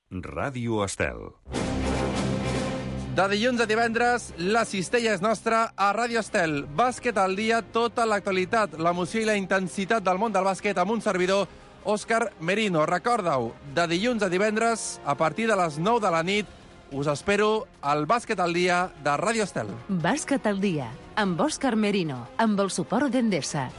Ràdio Estel. De dilluns a divendres, la cistella és nostra a Ràdio Estel. Bàsquet al dia, tota l'actualitat, l'emoció i la intensitat del món del bàsquet amb un servidor, Òscar Merino. Recorda-ho, de dilluns a divendres, a partir de les 9 de la nit, us espero al Bàsquet al dia de Ràdio Estel. Bàsquet al dia, amb Òscar Merino, amb el suport d'Endesa.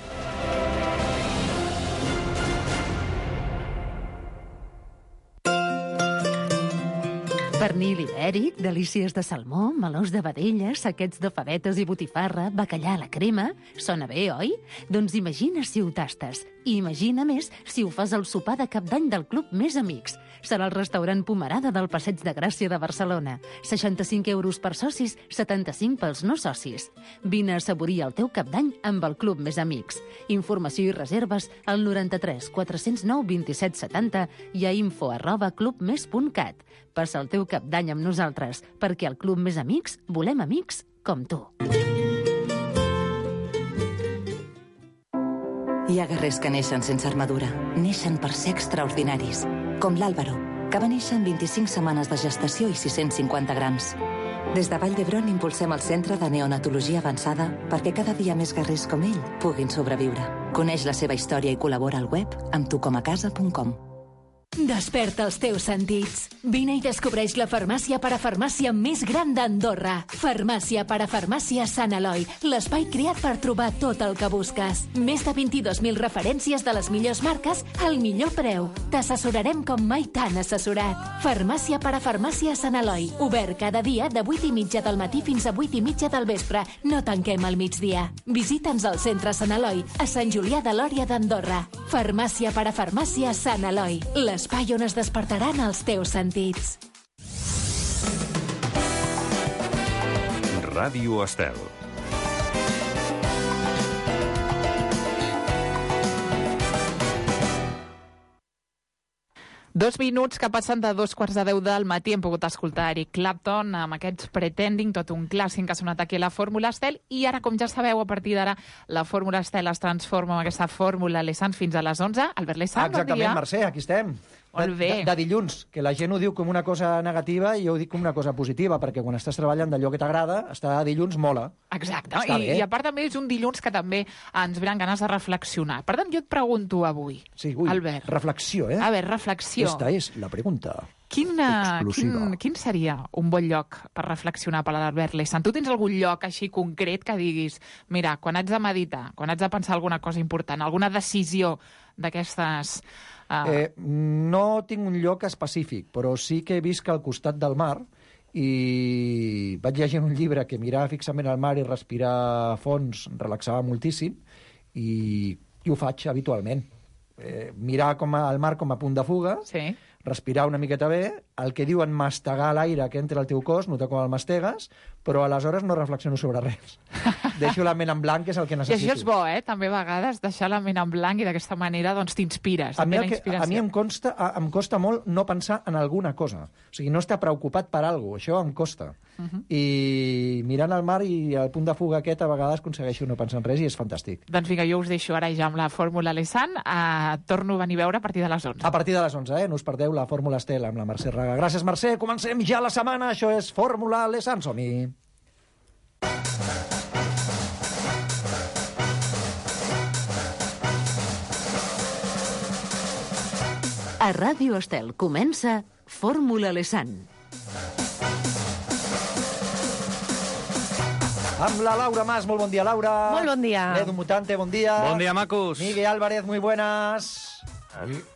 Pernil ibèric, delícies de salmó, melós de vedella, saquets de favetes i botifarra, bacallà a la crema... Sona bé, oi? Doncs imagina si ho tastes. I imagina més si ho fas al sopar de cap d'any del Club Més Amics. Serà el restaurant Pomerada del Passeig de Gràcia de Barcelona. 65 euros per socis, 75 pels no socis. Vine a assaborir el teu cap d'any amb el Club Més Amics. Informació i reserves al 93 409 27 70 i a info@clubmes.cat. Passa el teu cap d'any amb nosaltres, perquè al Club Més Amics volem amics com tu. Hi ha guerrers que neixen sense armadura. Neixen per ser extraordinaris. Com l'Àlvaro, que va néixer en 25 setmanes de gestació i 650 grams. Des de Vall d'Hebron impulsem el Centre de Neonatologia Avançada perquè cada dia més guerrers com ell puguin sobreviure. Coneix la seva història i col·labora al web amb tucomacasa.com. Desperta els teus sentits. Vine i descobreix la farmàcia parafarmàcia més gran d'Andorra. Farmàcia parafarmàcia Sant Eloi, l'espai creat per trobar tot el que busques. Més de 22.000 referències de les millors marques al millor preu. T'assessorarem com mai t'han assessorat. Farmàcia parafarmàcia Sant Eloi, obert cada dia de 8:30 del matí fins a 8:30 del vespre. No tanquem al migdia. Visita'ns al centre Sant Eloi, a Sant Julià de Lòria d'Andorra. Farmàcia parafarmàcia Sant Eloi, l'espai on es despertaran els teus sentits. Ràdio Estel. Dos minuts que passen de 2:45 del matí. Hem pogut escoltar Eric Clapton amb aquests Pretending, tot un clàssic que ha sonat aquí a la Fórmula Estel. I ara, com ja sabeu, a partir d'ara, la Fórmula Estel es transforma en aquesta Fórmula Lessans fins a les 11. Albert Lessans, bon dia. Exactament, Mercè, aquí estem. Molt bé. De dilluns, que la gent ho diu com una cosa negativa i jo ho dic com una cosa positiva, perquè quan estàs treballant d'allò que t'agrada, estar a dilluns mola. Exacte, i a part també és un dilluns que també ens venen ganes de reflexionar. Per tant, jo et pregunto avui, Sí, ui, Albert. reflexió, eh? A veure, reflexió. Esta és la pregunta. Quin seria un bon lloc per reflexionar per l'Albert Lessans? Tu tens algun lloc així concret que diguis, mira, quan haig de meditar, quan haig de pensar alguna cosa important, alguna decisió d'aquestes... No tinc un lloc específic, però sí que visc al costat del mar i vaig llegir un llibre que mirar fixament al mar i respirar a fons relaxava moltíssim i ho faig habitualment. Mirar el mar com a punt de fuga, sí. Respirar una miqueta bé, el que diuen mastegar l'aire que entra al teu cos, notar com el mastegues, però aleshores no reflexiono sobre res. Deixo la ment en blanc, que és el que necessito. I això és bo, també a vegades deixar la ment en blanc i d'aquesta manera doncs t'inspires. A mi em costa molt no pensar en alguna cosa. O sigui, no estar preocupat per alguna cosa, això em costa. I mirant el mar i el punt de fuga aquest a vegades aconsegueixo no pensar en res i és fantàstic. Doncs vinga, jo us deixo ara ja amb la Fórmula Lessans. Torno a venir a veure a partir de les 11. A partir de les 11, no us perdeu la Fórmula Estel amb la Mercè Raga. Gràcies, Mercè. Comencem ja la setmana. Això és Fórmula Lessans. Som-hi. A Ràdio Estel comença Fórmula Lessans. Amb la Laura Mas. Molt bon dia, Laura. Molt bon dia. Edu Mutante, bon dia. Bon dia, macos. Miguel Álvarez, muy buenas.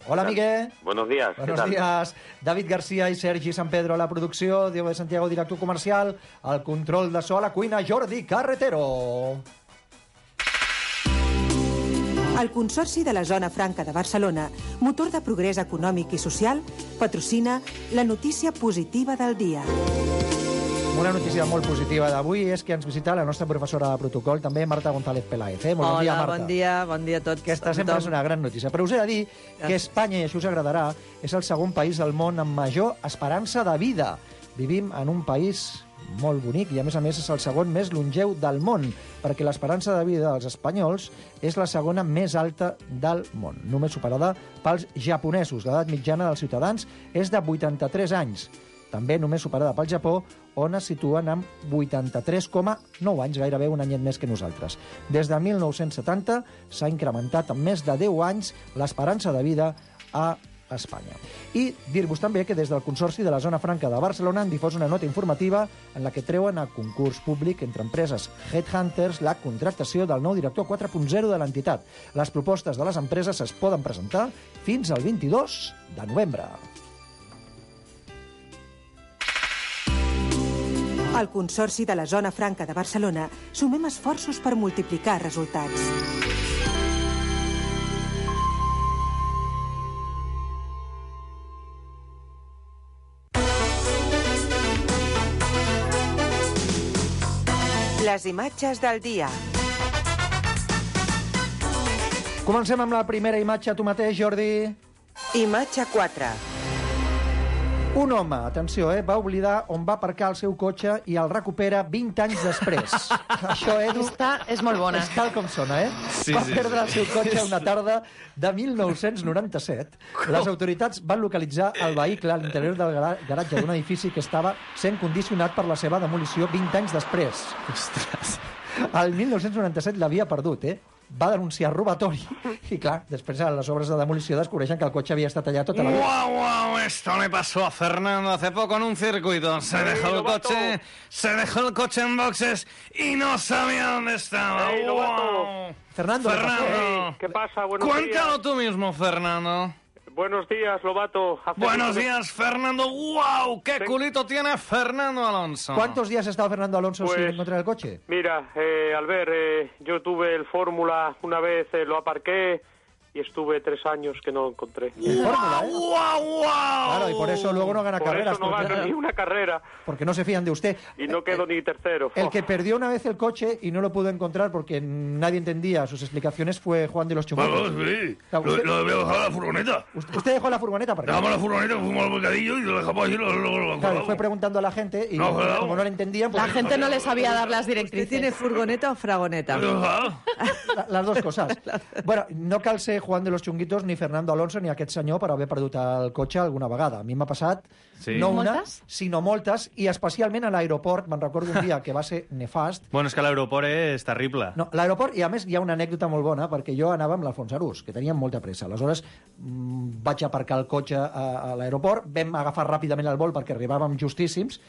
Hola, Miguel. Buenos días. Buenos días. David García i Sergi San Pedro a la producció, Diego de Santiago, director comercial, al control de so a la cuina, Jordi Carretero. El Consorci de la Zona Franca de Barcelona, motor de progrés econòmic i social, patrocina la notícia positiva del dia. Una notícia molt positiva d'avui és que ens visita la nostra professora de protocol, també Marta González Peláez. Molt bon dia, Marta. Bon dia a tots. Aquesta sempre és una gran notícia. Però us he de dir que Espanya, i això us agradarà, és el segon país del món amb major esperança de vida. Vivim en un país molt bonic, i a més és el segon més longeu del món, perquè l'esperança de vida dels espanyols és la segona més alta del món, només superada pels japonesos. L'edat mitjana dels ciutadans és de 83 anys, també només superada pel Japó, on es situen amb 83,9 anys, gairebé un anyet més que nosaltres. Des de 1970 s'ha incrementat en més de 10 anys l'esperança de vida a Espanya. I dir-vos també que des del Consorci de la Zona Franca de Barcelona han difós una nota informativa en la que treuen a concurs públic entre empreses Headhunters la contractació del nou director 4.0 de l'entitat. Les propostes de les empreses es poden presentar fins al 22 de novembre. Al Consorci de la Zona Franca de Barcelona sumem esforços per multiplicar resultats. Les imatges del dia. Comencem amb la primera imatge, tu mateix, Jordi. Imatge 4. Un home, atenció, va oblidar on va aparcar el seu cotxe i el recupera 20 anys després. Això, Edu, és molt bona. és tal com sona, Sí, va sí, perdre el seu cotxe una tarda de 1997. Les autoritats van localitzar el vehicle a l'interior del garatge d'un edifici que estava sent condicionat per la seva demolició 20 anys després. Ostres. El 1997 l'havia perdut, va denunciar robatori i, clar, després a les obres de demolició descobreixen que el cotxe havia estat allà tota la vida. ¡Wow! Esto le pasó a Fernando hace poco en un circuito. Se dejó el coche en boxes y no sabía dónde estaba. ¡Wow! Fernando. ¿Qué pasa? Buenos Cuéntalo días. tú mismo, Fernando. Buenos días, Lobato. Buenos días, Fernando. ¡Wow! ¡Qué culito tiene Fernando Alonso! ¿Cuántos días ha estado Fernando Alonso Pues, sin encontrar el coche? Mira, Albert, yo tuve el Fórmula una vez, lo aparqué y estuve 3 años que no lo encontré. En Fórmula, ¡Wow! Claro, y por eso luego no gana Por carreras. eso no gano ni una carrera porque no se fían de usted. y no quedo ni tercero. El que perdió una vez el coche y no lo pudo encontrar porque nadie entendía sus explicaciones fue Juan de los Chunguitos. Sí. Claro, usted- Lo había dejado en la furgoneta. Usted dejó la furgoneta para Dejamos la furgoneta, fuimos al mercadillo y lo dejamos ahí. Claro, fue preguntando a la gente y No, claro. como no le entendían... La pues- gente no le sabía dar las directrices. ¿Tiene furgoneta o fragoneta? Las dos coses. Bueno, no cal ser Juan de los Chunguitos, ni Fernando Alonso, ni aquest senyor per haver perdut el cotxe alguna vegada. A mi m'ha passat Sí. no una, Moltes? sinó moltes, i especialment a l'aeroport. Me'n recordo un dia que va ser nefast. Bueno, és que l'aeroport és terrible. No, l'aeroport, i a més hi ha una anècdota molt bona, perquè jo anava amb l'Alfons Arús, que teníem molta pressa. Aleshores vaig aparcar el cotxe a l'aeroport, vam agafar ràpidament el vol perquè arribàvem justíssims,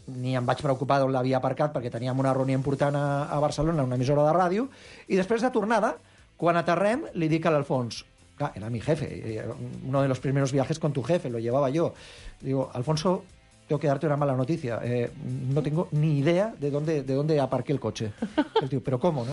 ni em vaig preocupar d'on l'havia aparcat perquè teníem una reunió important a Barcelona, una emissora de ràdio, i després de tornada, quan aterrem, li dic a l'Alfons, clar, era mi jefe, uno de los primeros viajes con tu jefe, lo llevaba yo. Digo, Alfonso, tengo que darte una mala noticia. No tengo ni idea de dónde aparqué el coche. El tío, ¿pero cómo?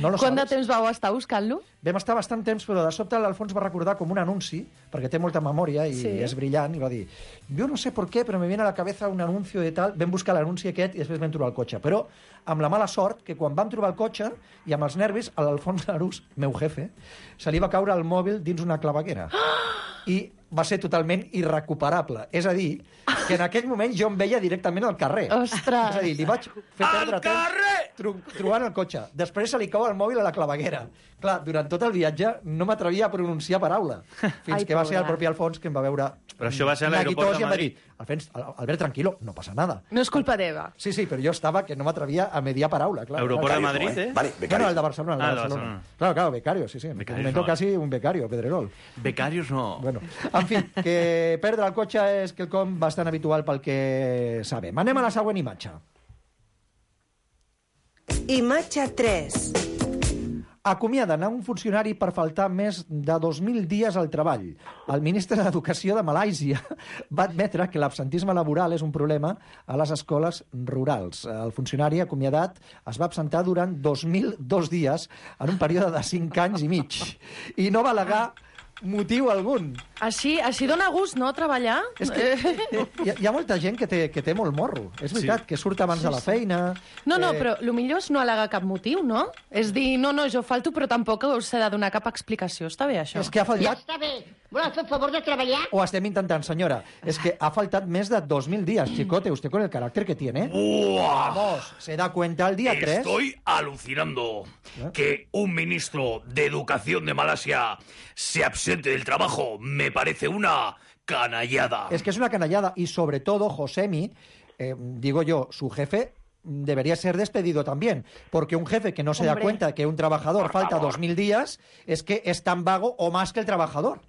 No lo Quant de sabes? temps vau estar buscant-lo? Vam estar bastant temps, però de sobte l'Alfons va recordar com un anunci, perquè té molta memòria i Sí. és brillant, i va dir, jo no sé per què, però me viene a la cabeza un anuncio de tal. Vam buscar l'anunci aquest i després vam trobar el cotxe. Però amb la mala sort que quan vam trobar el cotxe i amb els nervis, a l'Alfons Arús, meu jefe, se li va caure el mòbil dins una claveguera. I va ser totalment irrecuperable. És a dir, que en aquell moment jo em veia directament al carrer. Ostres! És a dir, li vaig fer perdre temps trobant el cotxe. Després se li cau el mòbil a la claveguera. Clar, durant tot el viatge no m'atrevia a pronunciar paraula. Fins que va ser el propi Alfons que em va veure... Però això va ser a l'aeroport de neguitós i em va dir, Madrid. Albert, tranquilo, no passa nada. No és culpa teva. Sí, però jo estava que no m'atrevia a mediar paraula. Claro, Aeroport de claro. Madrid, Vale, No, becario. el de Barcelona. El de Ah, de Barcelona. Barcelona. Claro, becario, sí. En Becarios momento no. casi un becario, Pedrerol. Becarios no. Bueno, en fi, que perdre el cotxe és quelcom bastant habitual pel que sabem. Anem a la següent imatge. Imatge 3. Acomiaden a un funcionari per faltar més de 2.000 dies al treball. El ministre d'Educació de Malàisia va admetre que l'absentisme laboral és un problema a les escoles rurals. El funcionari acomiadat es va absentar durant 2.002 dies en un període de 5 anys i mig. I no va al·legar motiu algun. Així dona gust, no, treballar? És que hi ha molta gent que té molt morro. És veritat, que surt abans de la feina... No, però el millor és no al·legar cap motiu, no? És dir, no, jo falto, però tampoc us he de donar cap explicació. Està bé, això? És que ha faltat... Ja està bé. Vols fer el favor de treballar? O estem intentant, senyora. Es que ha faltat més de 2.000 días, chicote. Usted con el carácter que tiene. ¡Buah! Vamos, se da cuenta el día 3. Estoy alucinando que un ministro de Educación de Malasia se absente del trabajo. Me parece una canallada. Es que es una canallada. Y sobre todo, Josemi, digo yo, su jefe debería ser despedido también, porque un jefe que no se da cuenta de que un trabajador falta 2.000 días es que es tan vago o más que el trabajador.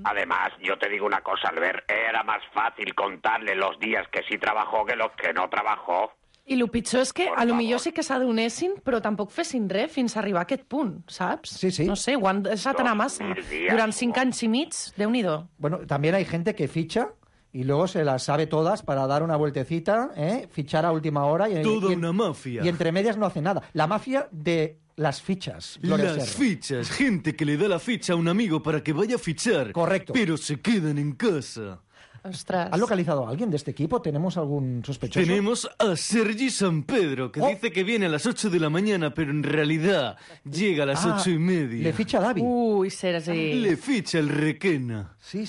Además, yo te digo una cosa, Albert, era más fàcil contarle los días que sí trabajó que los que no trabajó. I el pitjor és que a lo millor sí que s'adonessin, però tampoc fessin res fins a arribar a aquest punt, saps? Sí, sí. No sé, ho han deixat anar massa. Durant 5 anys i mig, Déu-n'hi-do. Bueno, también hay gente que ficha y luego se las sabe todas para dar una vueltecita, fichar a última hora. Una mafia. Y entre medias no hace nada. La mafia de las fichas. Gloria Las Serra. fichas, gente que le da la ficha a un amigo para que vaya a fichar. Correcto. Pero se quedan en casa. Ostras. ¿Has localizado a alguien de este equipo? ¿Tenemos algún sospechoso? Tenemos a Sergi San Pedro, que dice que viene a las 8 de la mañana, pero en realidad llega a las 8:30. Le ficha a David. Uy, Sergi. Le ficha el Requena. Sí.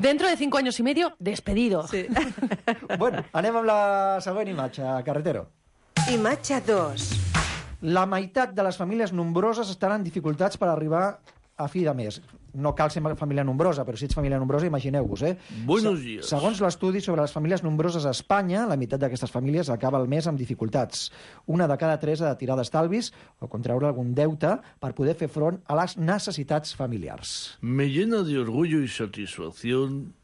Dentro de 5 años y medio, despedido. Sí. Bueno, anem amb la següent imatge, carretero. Imatge 2. La meitat de les famílies nombroses estaran en dificultats per arribar a fi de mes. No cal ser família nombrosa, però si ets família nombrosa, imagineu-vos, Buenos días. Segons l'estudi sobre les famílies nombroses a Espanya, la meitat d'aquestes famílies acaba el mes amb dificultats. Una de cada 3 ha de tirar d'estalvis o contraure algun deute per poder fer front a les necessitats familiars. Me llena de orgullo y satisfacción.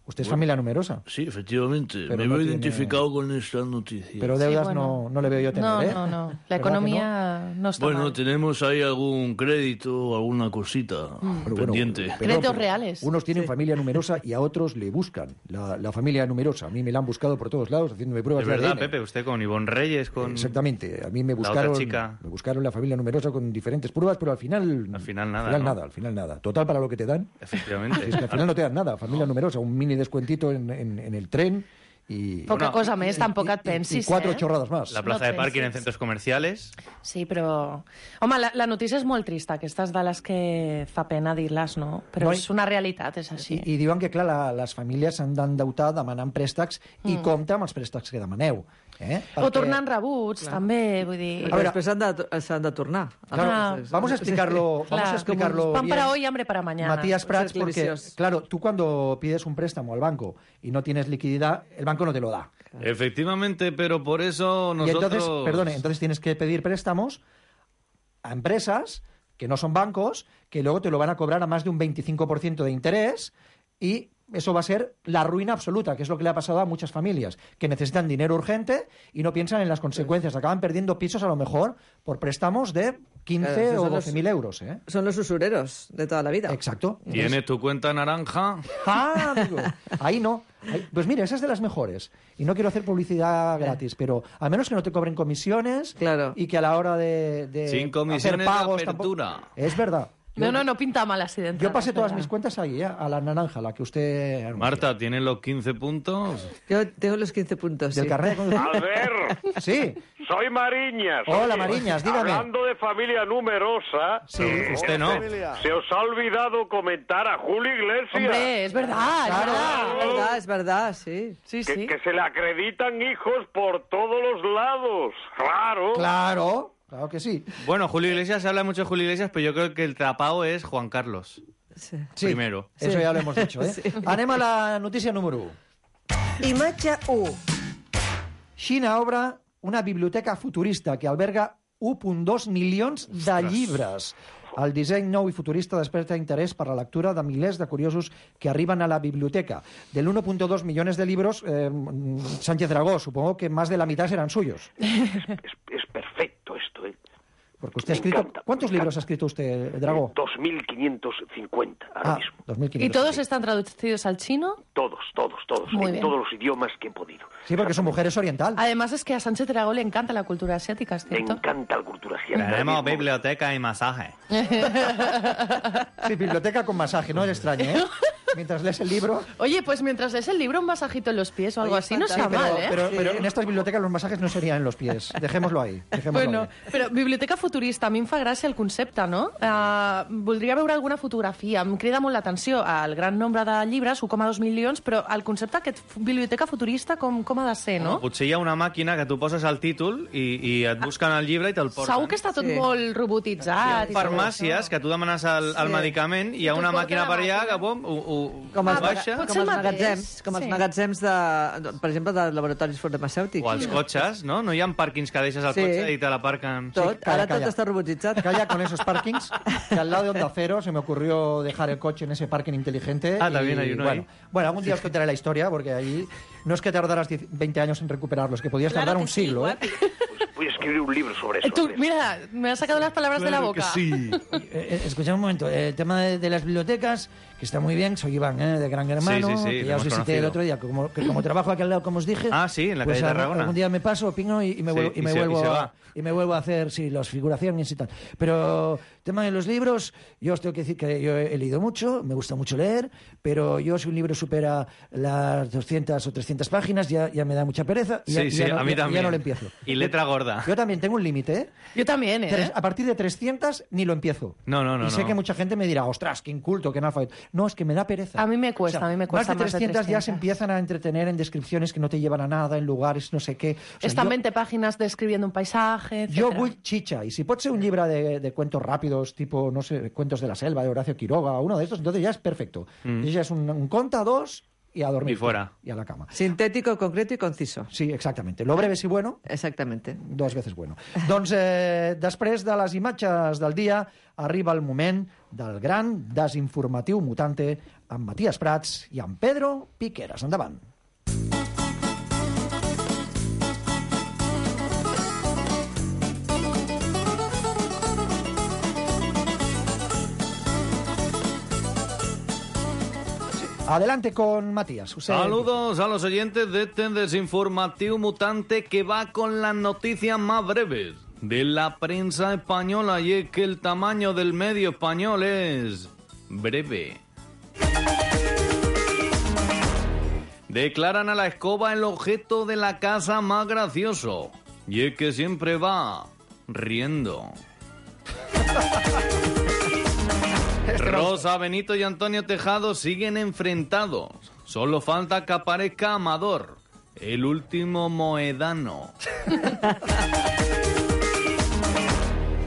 ¿Usted es familia numerosa? Sí, efectivamente. Pero Me no veo tiene- identificado con esta noticia. Pero deudas Sí, bueno. no le veo yo tener, No. La ¿Verdad que economía no está Bueno, mal. tenemos ahí algún crédito, alguna cosita Pero bueno, pendiente. Créditos reales. Unos tienen familia numerosa y a otros le buscan la familia numerosa. A mí me la han buscado por todos lados haciéndome pruebas Es verdad, de ADN. Pepe, usted con Ivonne Reyes, con... Exactamente. A mí me La otra buscaron, chica. me buscaron la familia numerosa con diferentes pruebas, pero al final nada, ¿no? al final nada. Total para lo que te dan. Efectivamente. Es que al final no te dan nada. Familia numerosa, un mini descuentito en el tren y... Poca cosa més, tampoc et pensis, y 4 chorradas más. La plaza No de parking en pensis. centros comerciales. Sí, però... Home, la notícia és molt trista. Aquestes de les que fa pena dir-les, no? Però No, és una realitat, és així. I diuen que, clar, les famílies s'han d'endeutar demanant préstecs i compte amb els préstecs que demaneu. O tornant rebuts, també, vull dir... Però després s'han de tornar. Claro, vamos a explicarlo, Pan bien. para hoy, hambre para mañana. Matías Prats, Ser porque, clavicios. claro, tú cuando pides un préstamo al banco y no tienes liquididad, el banco no te lo da. Efectivamente, pero por eso Y nosotros... entonces tienes que pedir préstamos a empresas que no son bancos, que luego te lo van a cobrar a más de un 25% de interés y eso va a ser la ruina absoluta, que es lo que le ha pasado a muchas familias, que necesitan dinero urgente y no piensan en las consecuencias. Acaban perdiendo pisos a lo mejor por préstamos de 15 Claro, o son los- 12.000 euros. Son los usureros de toda la vida. Exacto. ¿Tienes tu cuenta naranja? Ah, amigo, ahí no. Pues mira, esa es de las mejores. Y no quiero hacer publicidad gratis, pero a menos que no te cobren comisiones y que a la hora de Sin comisiones hacer de pagos apertura. Es verdad. No pinta mal así de Yo pasé todas entrada, mis cuentas ahí, a la naranja, la que usted... anunció. Marta, ¿tienes los 15 puntos? Yo tengo los 15 puntos. Del sí. carnet de conducir. Albert, Sí. soy Mariñas. Hola, Oye, Mariñas, dígame. Hablando de familia numerosa, Sí. Usted no. se os ha olvidado comentar a Julio Iglesias Hombre, es verdad, Claro, es verdad, sí. Sí, que se le acreditan hijos por todos los lados. Claro. Claro que sí. Bueno, Julio Iglesias, se habla mucho de Julio Iglesias, pero yo creo que el tapao es Juan Carlos. Sí. Sí, Primero. Eso ya lo hemos dicho, ¿eh? Anem a la notícia número 1. Imatge 1. Xina obre una biblioteca futurista que alberga 1,2 milions de llibres. El disseny nou i futurista desperta interès per la lectura de milers de curiosos que arriben a la biblioteca. Del 1,2 millones de libros, Sánchez Dragó, supongo que más de la mitad serán suyos. Es perfecto esto, ¿eh? Porque usted ha escrito... ¿Cuántos libros ha escrito usted, Dragó? 2.550 ahora mismo. 2.500. ¿Y todos están traducidos al chino? todos, Muy en bien. todos los idiomas que he podido. Sí, porque su mujer es oriental. Además es que a Sánchez Dragó le encanta la cultura asiática, ¿es Me cierto? encanta la cultura asiática. Tenemos biblioteca y masaje. Sí, biblioteca con masaje, no es extraño, ¿eh? Mientras lees el libro... Oye, pues mientras lees el libro, un masajito en los pies o algo así, no Sí, está mal, ¿eh? pero en estas bibliotecas los masajes no serían en los pies. Dejémoslo ahí. Bueno, però biblioteca futurista, a mi em fa gràcia el concepte, no? Voldria veure alguna fotografia. Em crida molt l'atenció el gran nombre de llibres, 1,2 milions, però el concepte aquest biblioteca futurista com ha de ser, no? Potser hi ha una màquina que tu poses el títol i et busquen el llibre i te'l porten. Segur que està tot molt robotitzat. Hi ha farmàcies que tu demanes el medicament i hi ha una màquina per allà que Com els, baixa. com els magatzems per exemple, de laboratoris farmacèutics. O els cotxes, no? No hi ha pàrquings que deixes el cotxe i te l'aparquen. Ara tot està robotitzat. Calla con esos parkings, que al lado de Onda Cero se me ocurrió dejar el coche en ese parking inteligente. También hay uno ahí. Bueno, algún día os contaré la historia, porque ahí no es que tardaras 20 años en recuperarlos, que podías tardar un siglo, ¿eh? Voy a escribir un libro sobre eso. Tú, mira, me has sacado las palabras de la boca. Escuchad un momento, el tema de las bibliotecas, que está muy bien, soy Iván, de Gran Hermano, que ya os visité el otro día, que como trabajo aquí al lado, como os dije, en la pues calle Tarragona. algún día me paso, pingo y me vuelvo a hacer las figuraciones y tal. Pero tema de los libros, yo os tengo que decir que yo he leído mucho, me gusta mucho leer, pero yo si un libro supera las 200 o 300 páginas ya me da mucha pereza y a mí también. Ya no lo empiezo. Y letra gorda. Yo también tengo un límite, ¿eh? Yo también, ¿eh? A partir de 300 ni lo empiezo. No. Y sé que mucha gente me dirá, ostras, qué inculto, qué analfabeto. No, es que me da pereza. A mí me cuesta, Más de 300 ya se empiezan a entretener en descripciones que no te llevan a nada, en lugares, no sé qué. O sea, Están 20 páginas describiendo un paisaje, etcétera. Yo voy chicha, y si puede ser un libro de cuentos rápidos, tipo, no sé, Cuentos de la Selva, de Horacio Quiroga, uno de estos, entonces ya es perfecto. Y ya es un conta, dos, y a dormir. Y fuera. Y a la cama. Sintético, concreto y conciso. Sí, exactamente. Lo breve si bueno. Exactamente. 2 veces bueno. Doncs després de les imatges del dia arriba el moment del gran desinformatiu mutante amb Matías Prats i amb Pedro Piqueras. Endavant. Adelante con Matías. Saludos a los oyentes de este desinformativo mutante que va con las noticias más breves de la prensa española, y es que el tamaño del medio español es breve. Declaran a la escoba el objeto de la casa más gracioso, y es que siempre va riendo. Rosa Benito y Antonio Tejado siguen enfrentados. Solo falta que aparezca Amador, el último moedano.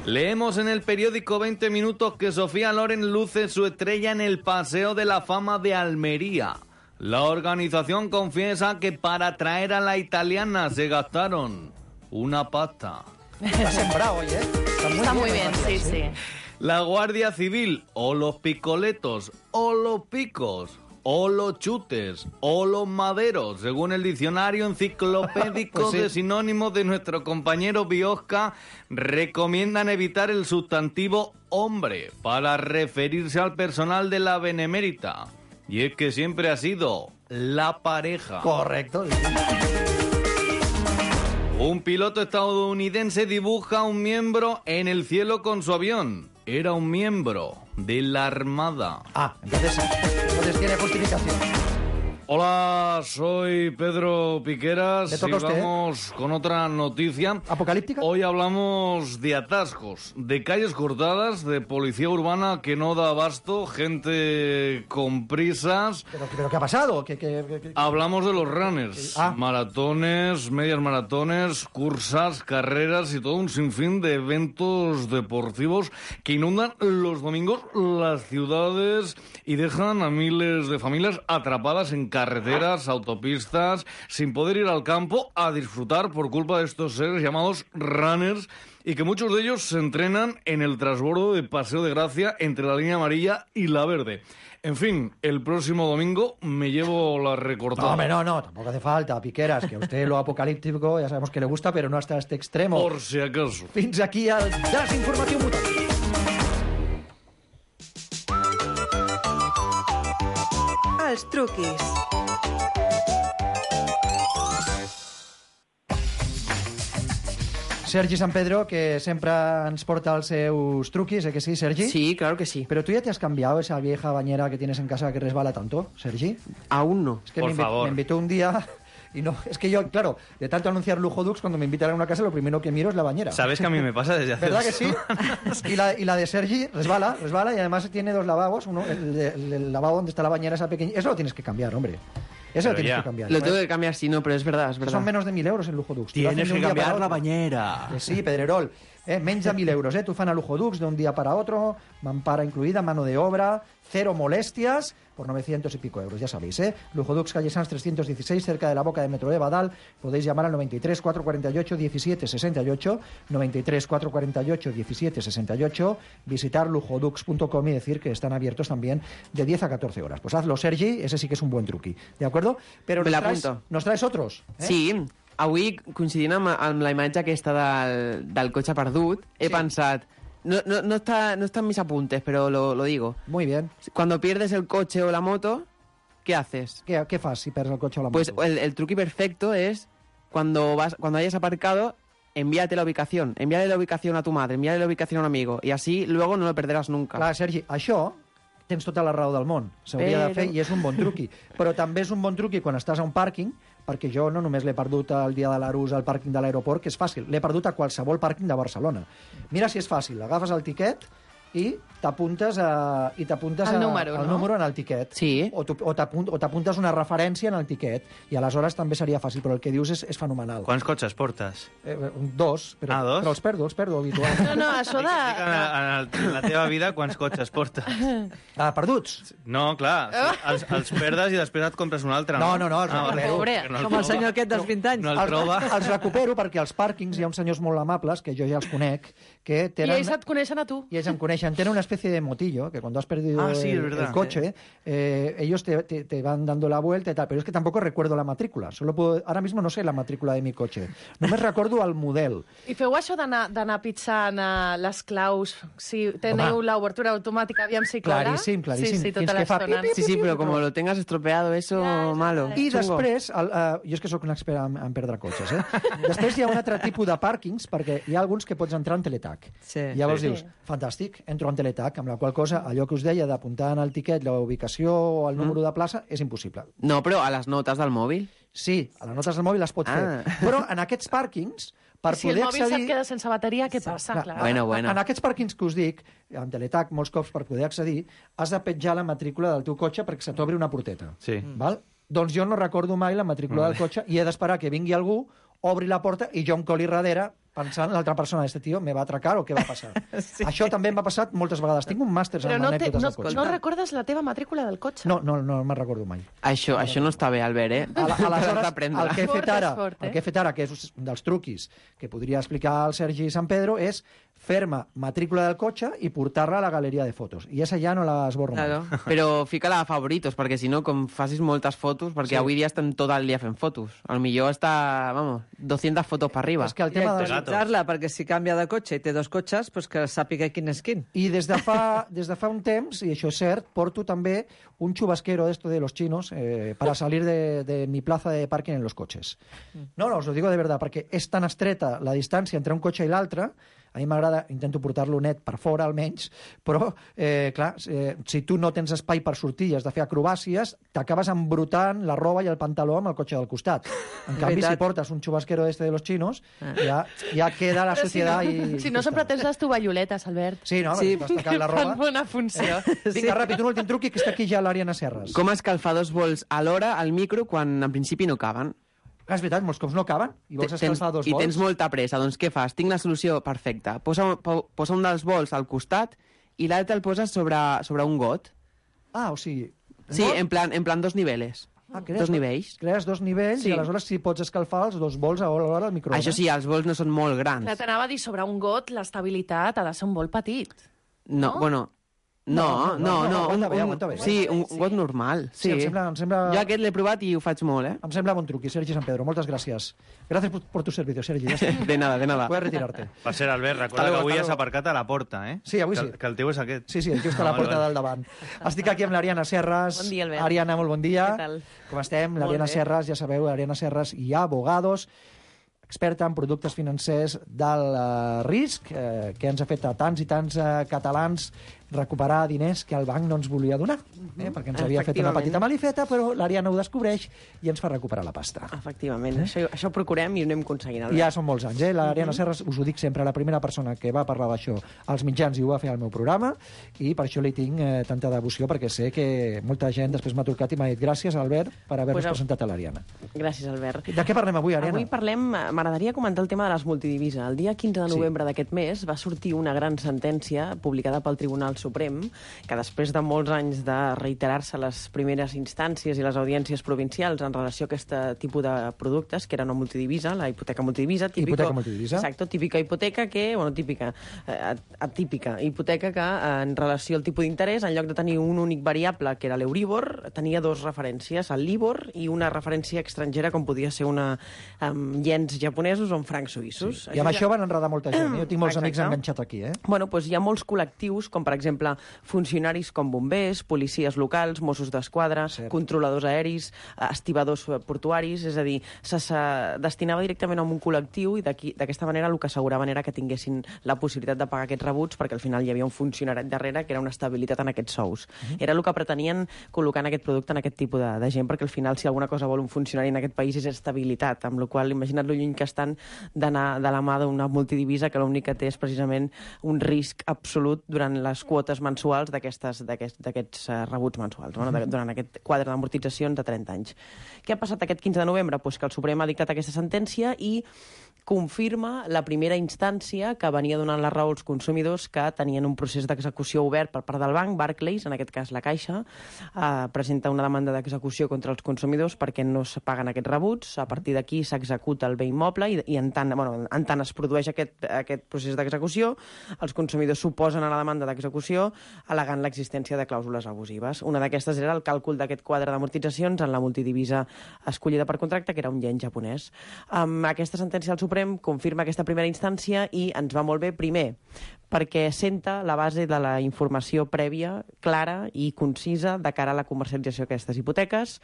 Leemos en el periódico 20 Minutos que Sofía Loren luce su estrella en el Paseo de la Fama de Almería. La organización confiesa que para traer a la italiana se gastaron una pasta. Está sembrado hoy, ¿eh? Está muy bien, Matías, sí. La Guardia Civil, o los picoletos, o los picos, o los chutes, o los maderos, según el diccionario enciclopédico Pues sí. de sinónimos de nuestro compañero Biosca, recomiendan evitar el sustantivo hombre para referirse al personal de la Benemérita. Y es que siempre ha sido la pareja. Correcto. Un piloto estadounidense dibuja un miembro en el cielo con su avión. Era un miembro de la Armada. Entonces tiene justificación. Hola, soy Pedro Piqueras. ¿Le toca a usted, Vamos con otra noticia. ¿Apocalíptica? Hoy hablamos de atascos, de calles cortadas, de policía urbana que no da abasto, gente con prisas. ¿Pero qué ha pasado? Hablamos de los runners, maratones, medias maratones, cursas, carreras y todo un sinfín de eventos deportivos que inundan los domingos las ciudades y dejan a miles de familias atrapadas en carreteras, autopistas, sin poder ir al campo a disfrutar por culpa de estos seres llamados runners, y que muchos de ellos se entrenan en el transbordo de Paseo de Gracia entre la línea amarilla y la verde. En fin, el próximo domingo me llevo la recortada. No, hombre, no, tampoco hace falta, Piqueras, que a usted lo apocalíptico ya sabemos que le gusta, pero no hasta este extremo. Por si acaso. Fins aquí el desinformatiu mutant. Els truquis. Sergi San Pedro, que sempre ens porta els seus truquis, que sí, Sergi? Sí, claro que sí. Pero tú ya te has cambiado esa vieja bañera que tienes en casa que resbala tanto, Sergi. Aún no. Es que me invitó un día y no, es que yo, claro, de tanto anunciar Lujo Dux, cuando me invitan a una casa, lo primero que miro es la bañera. ¿Sabes que a mí me pasa desde hace ¿Verdad que sí? Y la de Sergi resbala y además tiene dos lavabos, uno, el lavabo donde está la bañera esa pequeña. Eso lo tienes que cambiar, hombre. Eso lo tienes que cambiar. Lo tengo que cambiar, sí, no, pero es verdad, es verdad. Son menos de 1.000 euros en Lujo Dux. Tienes que cambiar la bañera. Sí, Pedrerol. Menys de 1.000 euros. Tú fan a Lujo Dux de un día para otro, mampara incluida, mano de obra, cero molestias, por 900 y pico euros, ya sabéis, Lujo Dux, calle Sanz 316, cerca de la boca de Metro de Badal. Podéis llamar al 93 448 17 68, 93 448 17 68, visitar lujodux.com y decir que están abiertos también de 10 a 14 horas. Pues hazlo, Sergi, ese sí que es un buen truqui, ¿de acuerdo? Pero nos traes otros, Sí, avui, coincidint amb la imatge aquesta del cotxe perdut, he pensat... No está en mis apuntes, pero lo digo. Muy bien. Cuando pierdes el coche o la moto, ¿qué haces? ¿Qué fas si pierdes el coche o la moto? Pues el truqui perfecto es cuando hayas aparcado, envíate la ubicación. Envíale la ubicación a tu madre, envíale la ubicación a un amigo. Y así luego no lo perderàs nunca. Clar, Sergi, això tens tota la raó del món. S'hauria de fer i és un bon truqui. Però també és un bon truqui quan estàs a un pàrquing, perquè jo no només l'he perdut el dia de l'Arús al pàrquing de l'aeroport, que és fàcil, l'he perdut a qualsevol pàrquing de Barcelona. Mira si és fàcil, agafes el tiquet i t'apuntes el número en el tiquet. Sí. O t'apuntes una referència en el tiquet, i aleshores també seria fàcil, però el que dius és fenomenal. Quants cotxes portes? Dos, però els perdo habitualment. No, això de... En la teva vida, quants cotxes portes? Perduts? No, clar, els perdes i després et compres un altre. No, els recupero. Com el senyor aquest dels 20 anys. No el troba. Els recupero perquè als pàrquings hi ha uns senyors molt amables, que jo ja els conec, que tenen... I ells et coneixen a tu. I ells em coneixen. Tenen una especie de motillo, que cuando has perdido el coche, ellos te van dando la vuelta y tal, pero es que tampoco recuerdo la matrícula. Ahora mismo no sé la matrícula de mi coche. Només recordo el model. I feu això d'anar pitjant les claus, si teniu l'obertura automàtica, aviam si clara? Claríssim. Sí, tota l'estona. Sí, però com lo tengas estropeado, eso, malo. I després, jo és que sóc un expert en perdre cotxes, Després hi ha un altre tipus de pàrquings, perquè hi ha alguns que pots entrar en teletac. Sí. Llavors dius, fantàstic, entro en teletac, amb la qual cosa, allò que us deia d'apuntar en el tiquet la ubicació o el número de plaça és impossible. No, però a les notes del mòbil? Sí, a les notes del mòbil les pots fer. Però en aquests pàrquings, per si poder el mòbil accedir... se't queda sense bateria, què passa? Clar. Bueno. En aquests pàrquings que us dic, en teletac, molts cops per poder accedir, has de petjar la matrícula del teu cotxe perquè se t'obri una porteta. Sí. Val? Doncs jo no recordo mai la matrícula del cotxe i he d'esperar que vingui algú, obri la porta i jo em coli darrere pensant l'altra persona, este tio me va atracar o què va passar. Sí. Això també m'ha passat moltes vegades. Tinc un màster en anècdotes del cotxe. No recordes la teva matrícula del cotxe? No me'n recordo mai. Això no està bé, Albert, Aleshores, el que he fet ara, que és un dels truquis que podria explicar el Sergi San Pedro, és fer-me matrícula del cotxe i portar-la a la galeria de fotos. I esa ja no l'esborro mai. Però fica-la a favoritos, perquè si no, com facis moltes fotos, perquè avui dia estem tot el dia fent fotos. Al millor està, 200 fotos per arriba. És que el tema de actualitzar-la, perquè si canvia de cotxe i té dos cotxes, pues que sàpiga quin és quin. I des de fa un temps, i això és cert, porto també un chubasquero esto de los chinos para salir de mi plaza de parking en los coches. No, os lo digo de verdad, perquè és tan estreta la distància entre un cotxe i l'altre. A mi m'agrada, intento portar-lo net per fora almenys, però, clar, si tu no tens espai per sortir i has de fer acrobàcies, t'acabes embrutant la roba i el pantaló amb el cotxe del costat. En canvi, si portes un chubasquero de los chinos, ja queda la societat i... Si no, sempre tens les tovalloletes, Albert. Sí, no? Vas tocant la roba. Fan bona funció. Vinga, ràpid, un últim truqui, que està aquí ja l'Àriana Serres. Com escalfar dos bols alhora al micro quan en principi no caben? És veritat, molts cops no caben i vols escalfar dos bols. I tens molta pressa, doncs què fas? Tinc la solució perfecta. Posa un dels bols al costat i l'altre el poses sobre un got. O sigui... Sí, en plan dos niveles. Dos nivells. Crees dos nivells i aleshores sí pots escalfar els dos bols a l'hora al microones. Això sí, els bols no són molt grans. T'anava a dir, sobre un got l'estabilitat ha de ser un bol petit. No, bueno... No. Aguanta bé. Sí, un got normal. Sí, em sembla... Jo aquest l'he provat i ho faig molt, Em sembla bon truqui, Sergi San Pedro. Moltes gràcies. Gràcies por tu servicio, Sergi. Ja està. De nada. Puedes retirarte. Per cert, Albert, recorda que avui has aparcat a la porta, Sí, avui sí. Que el teu és aquest. Sí, el teu està a la porta del davant. Estic aquí amb l'Ariana Serras. Bon dia, Albert. Ariana, molt bon dia. Què tal? Com estem? L'Ariana Serras, ja sabeu, Ariana Serras i Abogados, experta en productes financers del risc, que ens ha fet a tants i tants catalans recuperar diners que el banc no ens volia donar, perquè ens havia fet una petita malifeta, però l'Ariana ho descobreix i ens fa recuperar la pasta. Efectivament, això ho procurem i ho anem aconseguint. Ja són molts anys, L'Ariana Serras, us ho dic sempre, la primera persona que va parlar d'això als mitjans i ho va fer al meu programa, i per això li tinc tanta devoció, perquè sé que molta gent després m'ha trucat i m'ha dit gràcies, Albert, per haver-nos presentat a l'Ariana. Gràcies, Albert. De què parlem avui, Ariana? Avui m'agradaria comentar el tema de les multidivises. El dia 15 de novembre d'aquest mes va sortir una gran sentència publicada pel Tribunal Suprem, que després de molts anys de reiterar-se les primeres instàncies i les audiències provincials en relació a aquest tipus de productes, que era una multidivisa, la hipoteca multidivisa. Hipoteca multidivisa. Exacto, típica hipoteca que, atípica hipoteca que en relació al tipus d'interès, en lloc de tenir un únic variable, que era l'Euribor, tenia dos referències, el LIBOR i una referència estrangera, com podia ser una iens japonesos o en francs suïssos. Sí. I amb això van enredar molta gent. Jo tinc molts amics enganxats aquí. Bueno, doncs hi ha molts col·lectius, com per exemple funcionaris com bombers, policies locals, Mossos d'Esquadra, controladors aeris, estibadors portuaris, és a dir, se destinava directament a un col·lectiu i d'aquesta manera el que asseguraven era que tinguessin la possibilitat de pagar aquests rebuts, perquè al final hi havia un funcionari darrere que era una estabilitat en aquests sous. Era el que pretenien col·locant aquest producte en aquest tipus de gent, perquè al final si alguna cosa vol un funcionari en aquest país és estabilitat, amb la qual imagina't lo lluny que estan d'anar de la mà d'una multidivisa que l'únic que té és precisament un risc absolut durant les quotes mensuals d'aquests rebuts mensuals, durant aquest quadre d'amortitzacions de 30 anys. Què ha passat aquest 15 de novembre? Pues que el Suprem ha dictat aquesta sentència i confirma la primera instància que venia donant la raó als consumidors que tenien un procés d'execució obert per part del banc. Barclays, en aquest cas la Caixa, presenta una demanda d'execució contra els consumidors perquè no es paguen aquests rebuts. A partir d'aquí s'executa el bé immoble i en tant es produeix aquest procés d'execució, els consumidors s'oposen a la demanda d'execució al·legant l'existència de clàusules abusives. Una d'aquestes era el càlcul d'aquest quadre d'amortitzacions en la multidivisa escollida per contracte, que era un ien japonès. Aquesta sentència del Suprem confirma aquesta primera instància i ens va molt bé, primer, perquè senta la base de la informació prèvia, clara i concisa de cara a la comercialització d'aquestes hipoteques.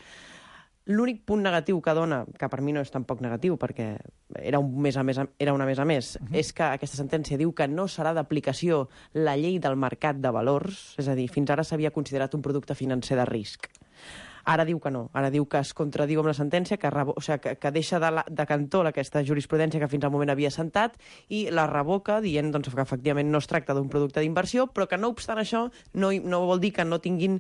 L'únic punt negatiu que dona, que per mi no és tampoc negatiu, perquè era una més a més, és que aquesta sentència diu que no serà d'aplicació la llei del mercat de valors, és a dir, fins ara s'havia considerat un producte financer de risc. Ara diu que no, ara diu que es contradiu amb la sentència, que deixa de cantó aquesta jurisprudència que fins al moment havia assentat i la revoca dient que efectivament no es tracta d'un producte d'inversió, però que no obstant això no vol dir que no tinguin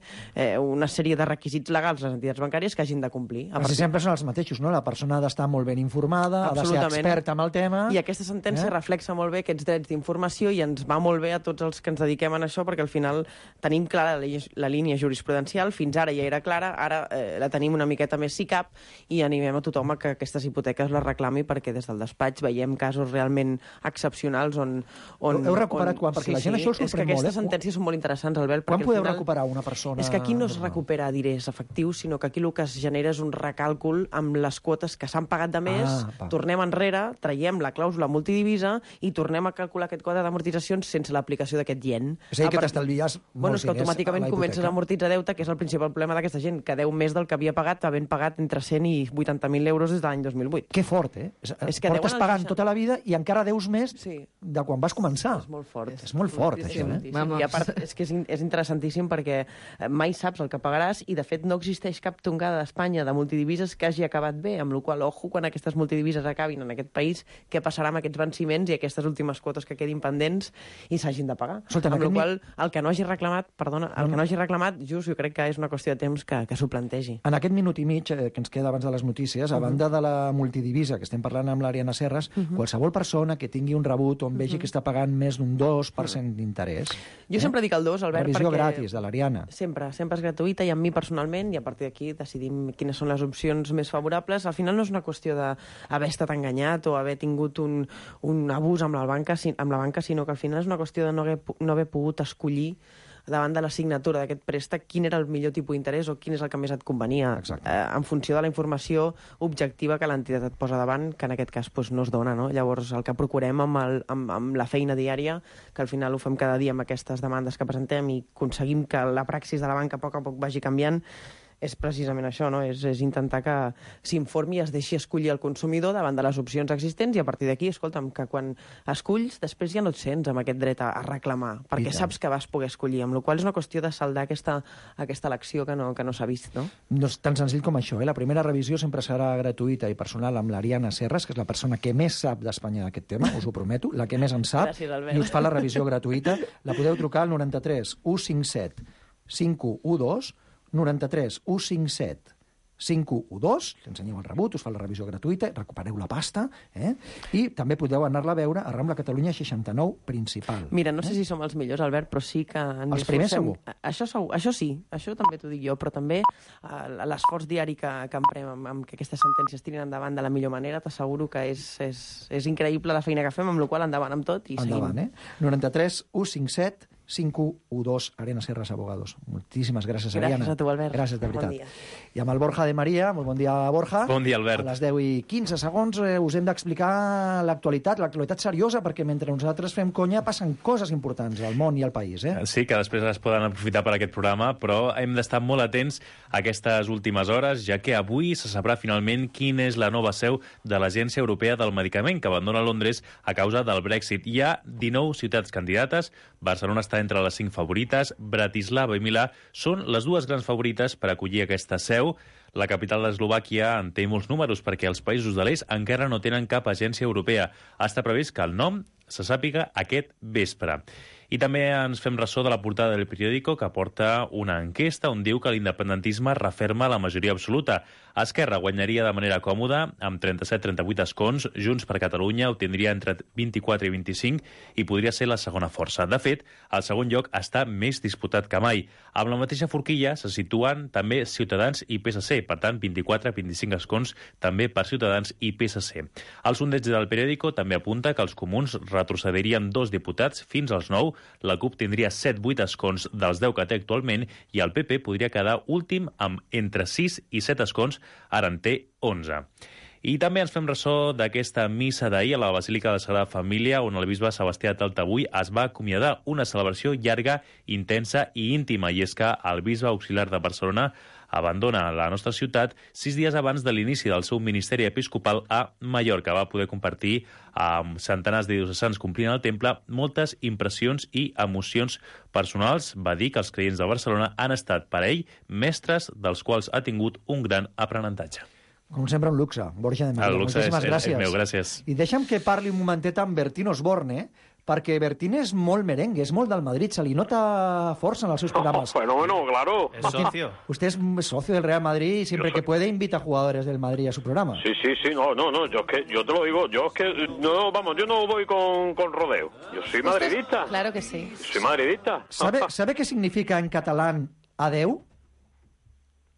una sèrie de requisits legals les entitats bancàries que hagin de complir. Quasi sempre són els mateixos, no? La persona ha d'estar molt ben informada, ha de ser experta en el tema... I aquesta sentència reflexa molt bé aquests drets d'informació i ens va molt bé a tots els que ens dediquem a això, perquè al final tenim clara la línia jurisprudencial, fins ara ja era clara, ara la tenim una miqueta més si cap i animem a tothom a que aquestes hipoteques les reclami, perquè des del despatx veiem casos realment excepcionals on... Heu recuperat quan? Perquè la gent això us sorprèn molt. És que aquestes sentències són molt interessants, Albert. Quan podeu recuperar una persona? És que aquí no es recupera diners efectius, sinó que aquí el que es genera és un recàlcul amb les quotes que s'han pagat de més, tornem enrere, traiem la clàusula multidivisa i tornem a calcular aquest quadre d'amortitzacions sense l'aplicació d'aquest ien. És a dir, que t'estalvies molts diners. És que automàticament comences a amortitzar deute, que és el principal problema d'aquesta gent, que deu més del que havia pagat, havent pagat entre 100 i 80.000 euros des de l'any 2008. Que fort, És que portes pagant tota la vida i encara deus més de quan vas començar. És molt fort. És molt fort, això, I a part, és que és interessantíssim perquè mai saps el que pagaràs i, de fet, no existeix cap tongada d'Espanya de multidivises que hagi acabat bé, amb la qual cosa, ojo, quan aquestes multidivises acabin en aquest país, què passarà amb aquests venciments i aquestes últimes quotes que quedin pendents i s'hagin de pagar. Amb la qual cosa, el que no hagi reclamat, just jo crec que és una qüestió de temps que s'ho plantegi. En aquest minut i mig que ens queda abans de les notícies, a banda de la multidivisa que estem parlant amb l'Ariana Serras, qualsevol persona que tingui un rebut on vegi que està pagant més d'un 2% d'interès... Jo sempre dic el 2, Albert, revisió gratis de l'Ariana. Sempre és gratuïta i amb mi personalment, i a partir d'aquí decidim quines són les opcions més favorables. Al final no és una qüestió d'haver estat enganyat o haver tingut un abús amb la banca, sinó que al final és una qüestió de no haver pogut escollir davant de la signatura d'aquest préstec, quin era el millor tipus d'interès o quin és el que més et convenia, en funció de la informació objectiva que l'entitat et posa davant, que en aquest cas no es dona, no? Llavors, el que procurem amb la feina diària, que al final ho fem cada dia amb aquestes demandes que presentem i aconseguim que la praxis de la banca a poc vagi canviant, és precisament això, no? És intentar que s'informi i es deixi escollir el consumidor davant de les opcions existents i a partir d'aquí, escolta'm, que quan esculls després ja no et sents amb aquest dret a reclamar, perquè saps que vas poder escollir, amb la qual és una qüestió de saldar aquesta elecció que no s'ha vist, no? No és tan senzill com això, eh? La primera revisió sempre serà gratuïta i personal amb l'Ariana Serres, que és la persona que més sap d'Espanya d'aquest tema, us ho prometo, la que més en sap. Gràcies, Albert. I us fa la revisió gratuïta. La podeu trucar al 93 157 5112, 93 157 5112, li ensenyeu el rebut, us fa la revisió gratuïta, recupereu la pasta, i també podeu anar-la a veure a Rambla Catalunya 69 principal. Mira, no sé si som els millors, Albert, però sí que... Els primers segur. Això sí, això també t'ho dic jo, però també l'esforç diari que emprem amb que aquestes sentències tirin endavant de la millor manera, t'asseguro que és increïble la feina que fem, amb la qual endavant amb tot i endavant, seguim. 93 157 5112, Arena Serres Abogados. Moltíssimes gràcies, Ariana. Gràcies a tu, Albert. Gràcies, de veritat. Bon dia. I amb el Borja de Maria. Molt bon dia, Borja. Bon dia, Albert. A les 10 i 15 segons us hem d'explicar l'actualitat seriosa, perquè mentre nosaltres fem conya passen coses importants al món i al país. Sí, que després es poden aprofitar per aquest programa, però hem d'estar molt atents a aquestes últimes hores, ja que avui se sabrà finalment quina és la nova seu de l'Agència Europea del Medicament, que abandona Londres a causa del Brexit. Hi ha 19 ciutats candidates, Barcelona està entre les 5 favorites, Bratislava i Milà són les dues grans favorites per acollir aquesta seu. La capital d'Eslovàquia en té molts números perquè els països de l'est encara no tenen cap agència europea. Està previst que el nom se sàpiga aquest vespre. I també ens fem ressò de la portada del periòdico, que porta una enquesta on diu que l'independentisme referma la majoria absoluta. Esquerra guanyaria de manera còmoda amb 37-38 escons, Junts per Catalunya obtindria entre 24 i 25 i podria ser la segona força. De fet, el segon lloc està més disputat que mai. Amb la mateixa forquilla se situen també Ciutadans i PSC, per tant 24-25 escons també per Ciutadans i PSC. El sondeig del periòdico també apunta que els comuns retrocedirien 2 diputats fins als 9, la CUP tindria 7-8 escons dels 10 que té actualment i el PP podria quedar últim amb entre 6 i 7 escons, ara en té 11. I també ens fem ressò d'aquesta missa d'ahir a la Basílica de la Sagrada Família, on el bisbe Sebastià Taltabull es va acomiadar, una celebració llarga, intensa i íntima, i és que el bisbe auxiliar de Barcelona abandona la nostra ciutat 6 dies abans de l'inici del seu ministeri episcopal a Mallorca. Va poder compartir amb centenars de diocesans complint el temple moltes impressions i emocions personals. Va dir que els creients de Barcelona han estat per a ell mestres dels quals ha tingut un gran aprenentatge. Com sempre, un luxe. Borja de Maria, el luxe moltíssimes gràcies. És meu, gràcies. I deixa'm que parli un momentet amb Bertín Osborne, perquè Bertín és molt merengue, és molt del Madrid, se li nota força en els seus programas. Bueno, claro. Es socio. Usted es socio del Real Madrid y siempre que puede invita a jugadores del Madrid a su programa. Sí, no, yo te lo digo, yo no voy con rodeo. Yo soy madridista. Claro que sí. Soy madridista. ¿Sabe qué significa en catalán adeu?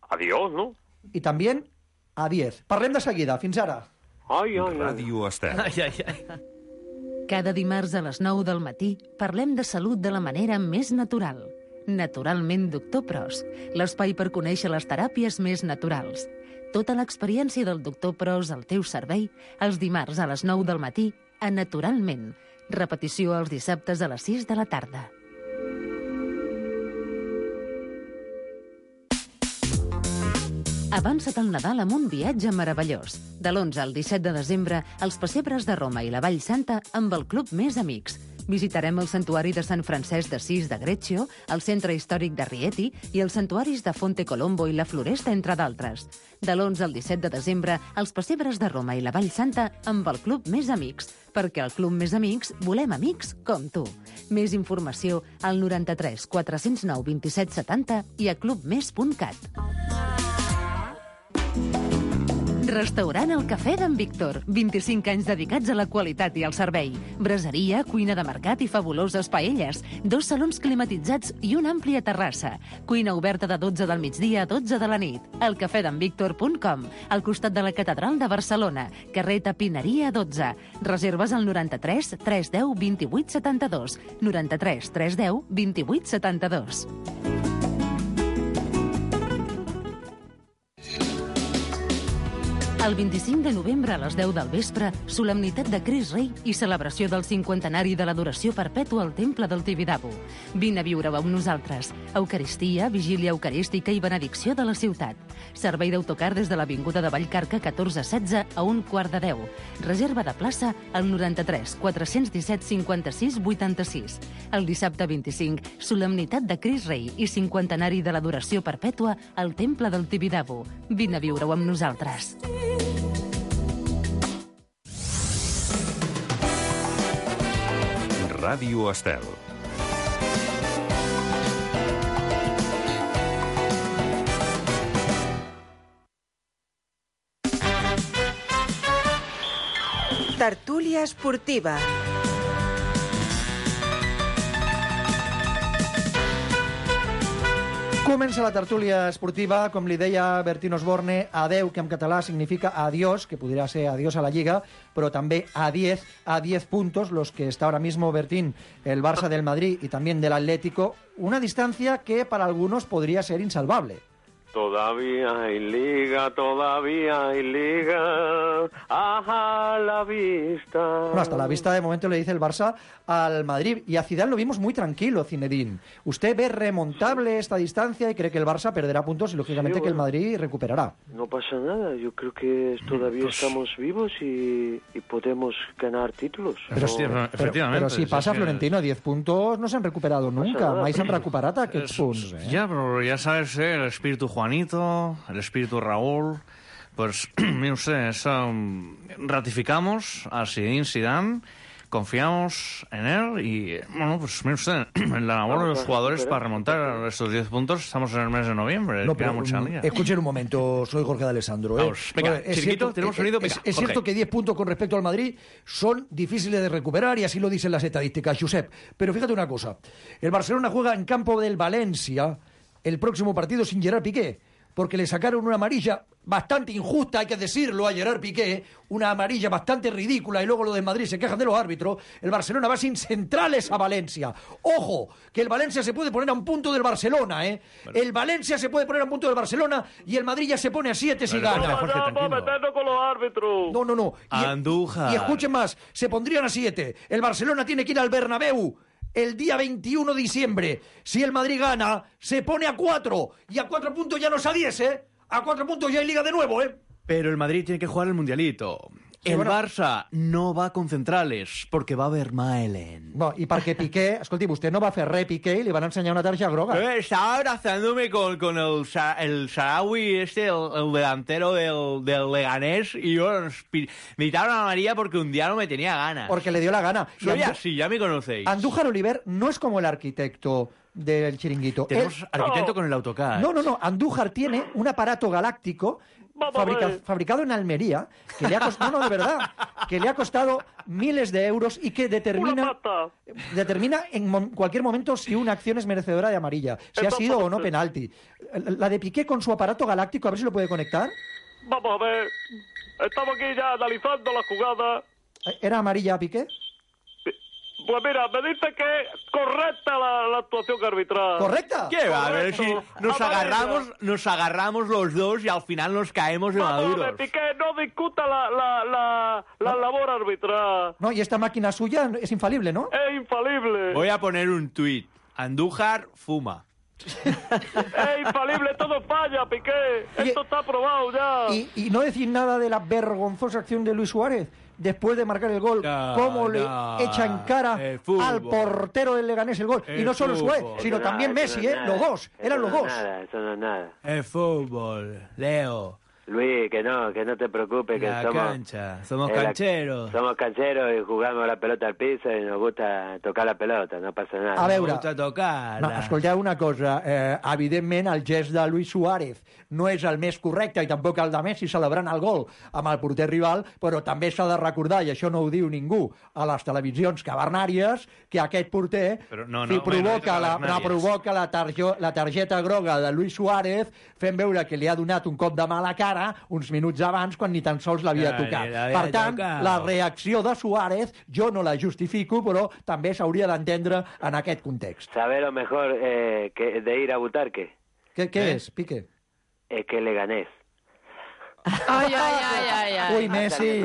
Adiós, ¿no? Y también a 10. Parlem de seguida. Fins ara. Ràdio Estel. Cada dimarts a les 9 del matí parlem de salut de la manera més natural. Naturalment Doctor Pros, l'espai per conèixer les teràpies més naturals. Tota l'experiència del Doctor Pros al teu servei els dimarts a les 9 del matí a Naturalment. Repetició els dissabtes a les 6 de la tarda. Avança't al Nadal amb un viatge meravellós. De l'11 al 17 de desembre, els pessebres de Roma i la Vall Santa amb el Club Més Amics. Visitarem el santuari de Sant Francesc d'Assís de Greccio, el centre històric de Rieti i els santuaris de Fonte Colombo i la Floresta, entre d'altres. De l'11 al 17 de desembre, els pessebres de Roma i la Vall Santa amb el Club Més Amics, perquè al Club Més Amics volem amics com tu. Més informació al 93 409 27 70 i a clubmes.cat. Restaurant El Cafè d'en Víctor. 25 anys dedicats a la qualitat i al servei. Braseria, cuina de mercat i fabuloses paelles. 2 salons climatitzats i una àmplia terrassa. Cuina oberta de 12 del migdia a 12 de la nit. elcafedenvictor.com, al costat de la Catedral de Barcelona. Carrer Tapineria 12. Reserves al 93 310 28 72. 93 310 28 72. El 25 de novembre a les 10 del vespre, solemnitat de Crist Rei i celebració del 50enari de l'adoració perpètua al Temple del Tibidabo. Vine a viure-ho amb nosaltres. Eucaristia, vigília eucarística i benedicció de la ciutat. Servei d'autocar des de l'Avinguda de Vallcarca 1416 a 1:45. Reserva de plaça al 93 417 56 86. El dissabte 25, solemnitat de Crist Rei i 50enari de l'adoració perpètua al Temple del Tibidabo. Vine a viure-ho amb nosaltres. Ràdio Estel. Tertúlia esportiva. Comença la tertúlia esportiva, com li deia Bertín Osborne, adeu, que en català significa adiós, que podría ser adiós a la Lliga, pero también a 10 puntos, los que está ahora mismo Bertín, el Barça del Madrid y también del Atlético, una distancia que para algunos podría ser insalvable. Todavía hay liga, a la vista. Bueno, hasta la vista de momento le dice el Barça al Madrid. Y a Zidane lo vimos muy tranquilo, Zinedine. ¿Usted ve remontable esta distancia y cree que el Barça perderá puntos y lógicamente que el Madrid recuperará? No pasa nada, yo creo que todavía estamos vivos y podemos ganar títulos. Pero, efectivamente. Pero si pasa Florentino, 10 puntos no se han recuperado nunca. Mai s'han recuperat aquests punts. Ya, pero ya sabes, el espíritu Juanito, el espíritu Raúl, pues, mire usted, ratificamos a Zinedine Zidane, confiamos en él y, bueno, pues mire usted, en la labor de los jugadores para remontar estos 10 puntos, estamos en el mes de noviembre, no, queda mucha liga. Escuchen un momento, soy Jorge de Alessandro. Vamos, venga, chiquito, tenemos sonido, venga, es cierto que 10 puntos con respecto al Madrid son difíciles de recuperar y así lo dicen las estadísticas, Josep. Pero fíjate una cosa, el Barcelona juega en campo del Valencia el próximo partido sin Gerard Piqué, porque le sacaron una amarilla bastante injusta, hay que decirlo, a Gerard Piqué, una amarilla bastante ridícula, y luego lo de Madrid se quejan de los árbitros. El Barcelona va sin centrales a Valencia. Ojo, que el Valencia se puede poner a un punto del Barcelona, ¿eh? Bueno. El Valencia se puede poner a un punto del Barcelona y el Madrid ya se pone a 7 si gana. Meternos con los árbitros. No. Andújar. Y escuchen más, se pondrían a 7. El Barcelona tiene que ir al Bernabéu el día 21 de diciembre. Si el Madrid gana, se pone a 4. Y a 4 puntos ya no es a 10, ¿eh? A 4 puntos ya hay Liga de nuevo, ¿eh? Pero el Madrid tiene que jugar el Mundialito. Sí, el bueno. Barça no va con centrales, porque va a haver Maelen. No, y perquè Piqué, escolti, vostè no va fer res Piqué i li van ensenyar una tarja groga. Estaba abrazándome con el Sarawi, el delantero del Leganés, y yo me quitaron a María porque un día no me tenía ganas. Porque le dio la gana. Soy así, ya me conocéis. Andújar Oliver no es como el arquitecto del chiringuito. Tenemos arquitecto con el AutoCAD. No. Andújar tiene un aparato galáctico fabricado en Almería, que le ha costado, no, de verdad, que le ha costado miles de euros y que determina en cualquier momento si una acción es merecedora de amarilla, si ha sido o no penalti. La de Piqué con su aparato galáctico, a ver si lo puede conectar. Vamos a ver, estamos aquí ya analizando la jugada. ¿Era amarilla Piqué? Pues mira, me dice que es correcta la actuación arbitral. ¿Correcta? ¿Qué va? A ver si nos agarramos los dos y al final nos caemos de maduros. Piqué, no discuta la labor arbitral. No, y esta máquina suya es infalible, ¿no? Es infalible. Voy a poner un tuit. Andújar fuma. Es infalible, todo falla, Piqué. Esto está aprobado ya. Y no decir nada de la vergonzosa acción de Luis Suárez después de marcar el gol, cómo le echa en cara al portero del Leganés el gol. Y no solo Suárez, sino también Messi, los dos. Eran los dos. Eso no es nada. El fútbol, Leo. Luis, que no te preocupes, que La somos... cancha, somos cancheros. Somos cancheros y jugamos la pelota al piso y nos gusta tocar la pelota, no passa nada. A veure, Nos gusta tocar-la. no, escolteu una cosa, evidentment el gest de Luis Suárez no és el més correcte i tampoc el de Messi celebrant el gol amb el porter rival, però també s'ha de recordar, i això no ho diu ningú a les televisions cavernàries, que aquest porter provoca la targeta groga de Luis Suárez fent veure que li ha donat un cop de mà a la cara uns minuts abans quan ni tan sols l'havia tocat. Per tant, la reacció de Suárez jo no la justifico, però també s'hauria d'entendre en aquest context. ¿Sabes lo mejor que de ir a Butarque? Què és, Piqué? Es que le ganés. Ay. Uy, Messi.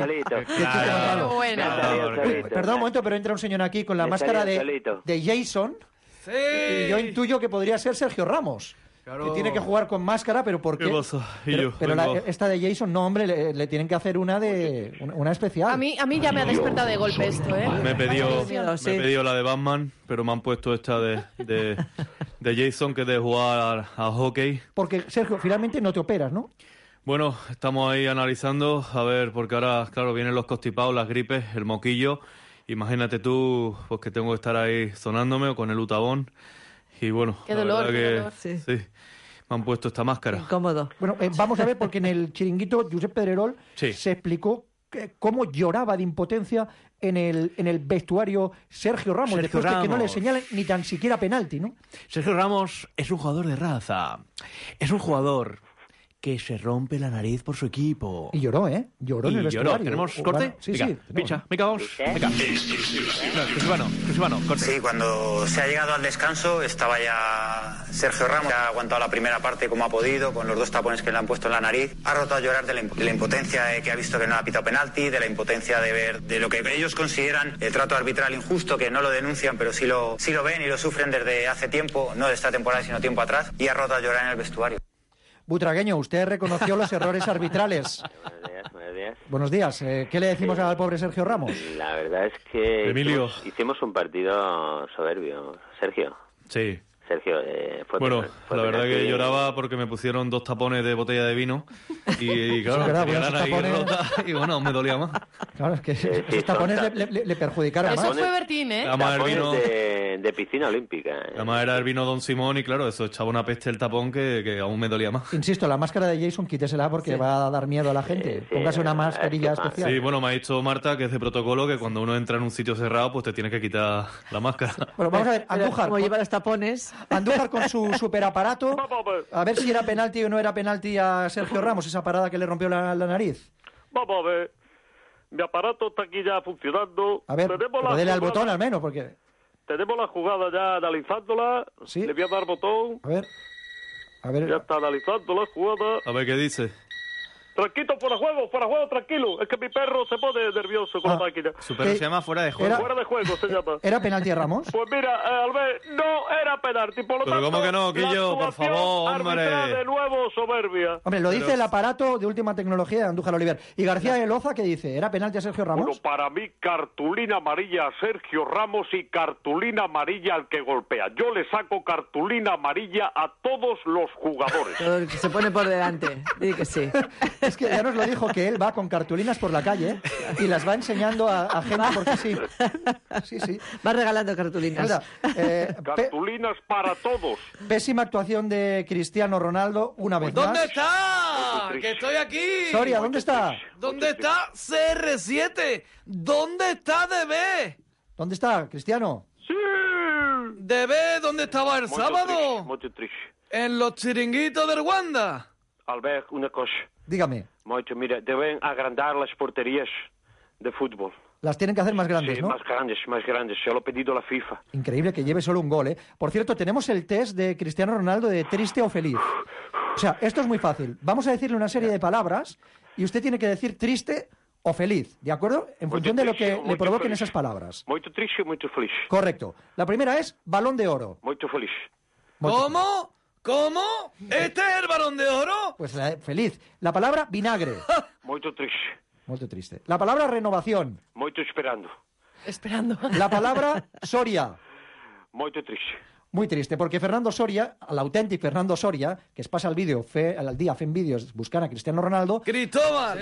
Perdón un momento, pero entra un señor aquí con la máscara de Jason. Sí. Y yo intuyo que podría ser Sergio Ramos. Claro. Que tiene que jugar con máscara, pero ¿por qué? ¿Qué pasa? Pero esta de Jason, no, hombre, le tienen que hacer una especial. A mí ya me ha despertado de golpe esto, ¿eh? Me he pedido la de Batman, pero me han puesto esta de Jason, que es de jugar a hockey. Porque, Sergio, finalmente no te operas, ¿no? Bueno, estamos ahí analizando, a ver, porque ahora, claro, vienen los constipados, las gripes, el moquillo. Imagínate tú, pues que tengo que estar ahí sonándome o con el utabón. Y bueno, qué dolor, sí, me han puesto esta máscara. Incómodo. Bueno, vamos a ver, porque en el chiringuito Josep Pedrerol se explicó cómo lloraba de impotencia en el vestuario Sergio Ramos, después de que no le señalen ni tan siquiera penalti, ¿no? Sergio Ramos es un jugador de raza. Es un jugador que se rompe la nariz por su equipo. Y lloró, ¿eh? Lloró en el vestuario. ¿Tenemos corte? Bueno, sí, Venga, sí. Picha, venga, vamos. Venga. Exclusivano, corte. Sí, cuando se ha llegado al descanso estaba ya Sergio Ramos, ha aguantado la primera parte como ha podido, con los 2 tapones que le han puesto en la nariz. Ha roto a llorar de la impotencia que ha visto que no ha pitado penalti, de la impotencia de ver de lo que ellos consideran el trato arbitral injusto, que no lo denuncian, pero sí lo ven y lo sufren desde hace tiempo, no de esta temporada, sino tiempo atrás, y ha roto a llorar en el vestuario. Butragueño, usted reconoció los errores arbitrales. Buenos días. Buenos días. ¿Qué le decimos al pobre Sergio Ramos? La verdad es que Emilio. Hicimos un partido soberbio. Sergio. Sí. Sergio, la verdad que lloraba porque me pusieron 2 tapones de botella de vino y claro, tenía la nariz rota y bueno, me dolía más. Claro, es que esos tapones le perjudicaron más. Eso fue Bertín, ¿eh? Tapones de piscina olímpica. Además era el vino Don Simón y claro, eso echaba una peste el tapón que aún me dolía más. Insisto, la máscara de Jason quítesela porque va a dar miedo a la gente. Póngase una mascarilla especial. Sí, bueno, me ha dicho Marta que es de protocolo que cuando uno entra en un sitio cerrado pues te tienes que quitar la máscara. Bueno, vamos a ver, Andújar. Como lleva los tapones... Andújar con su superaparato, a ver si era penalti o no era penalti a Sergio Ramos, esa parada que le rompió la nariz. Vamos a ver, mi aparato está aquí ya funcionando. A ver, pero dele al botón al menos, porque... Tenemos la jugada ya analizándola, ¿Sí? Le voy a dar botón. A ver. Ya está analizando la jugada. A ver qué dice. Tranquilo, fuera juego, tranquilo. Es que mi perro se pone nervioso con la máquina. Su perro se llama fuera de juego. Fuera de juego se llama. ¿Era penalti a Ramos? Pues mira, Albert, no era penalti. Por lo Pero tanto, ¿cómo que no, Quillo? Por favor, hombre. De nuevo soberbia. Hombre, lo dice el aparato de última tecnología de Andújar Oliver. ¿Y García de Loza qué dice? ¿Era penalti a Sergio Ramos? Bueno, para mí, cartulina amarilla a Sergio Ramos y cartulina amarilla al que golpea. Yo le saco cartulina amarilla a todos los jugadores. Se pone por delante. Di que sí. Es que ya nos lo dijo, que él va con cartulinas por la calle y las va enseñando a gente porque sí. Sí. Va regalando cartulinas. Cartulinas para todos. Pésima actuación de Cristiano Ronaldo una vez más. ¿Dónde está? ¡Que estoy aquí! Soria, ¿dónde está? ¿Dónde está CR7? ¿Dónde está DB? ¿Dónde está, Cristiano? Sí. ¿DB dónde estaba el sábado? Muy triste. En los chiringuitos del Wanda. Albert, una cosa. Dígame. Moito, mira, deben agrandar las porterías de fútbol. Las tienen que hacer más grandes, sí, ¿no? más grandes. Se lo ha pedido la FIFA. Increíble que lleve solo un gol, ¿eh? Por cierto, tenemos el test de Cristiano Ronaldo de triste o feliz. O sea, esto es muy fácil. Vamos a decirle una serie de palabras y usted tiene que decir triste o feliz, ¿de acuerdo? En función de lo que le provoquen esas palabras. Muy triste, muy feliz. Correcto. La primera es Balón de Oro. Muy feliz. ¿Cómo? ¿Cómo? ¿Este es el Balón de Oro? Pues feliz. La palabra vinagre. Muy triste. Muy triste. La palabra renovación. Muy esperando. Esperando. La palabra Soria. Muy triste. Muy triste, porque Fernando Soria, l'autèntic Fernando Soria, que es passa el dia fent vídeos buscant a Cristiano Ronaldo... Cristóbal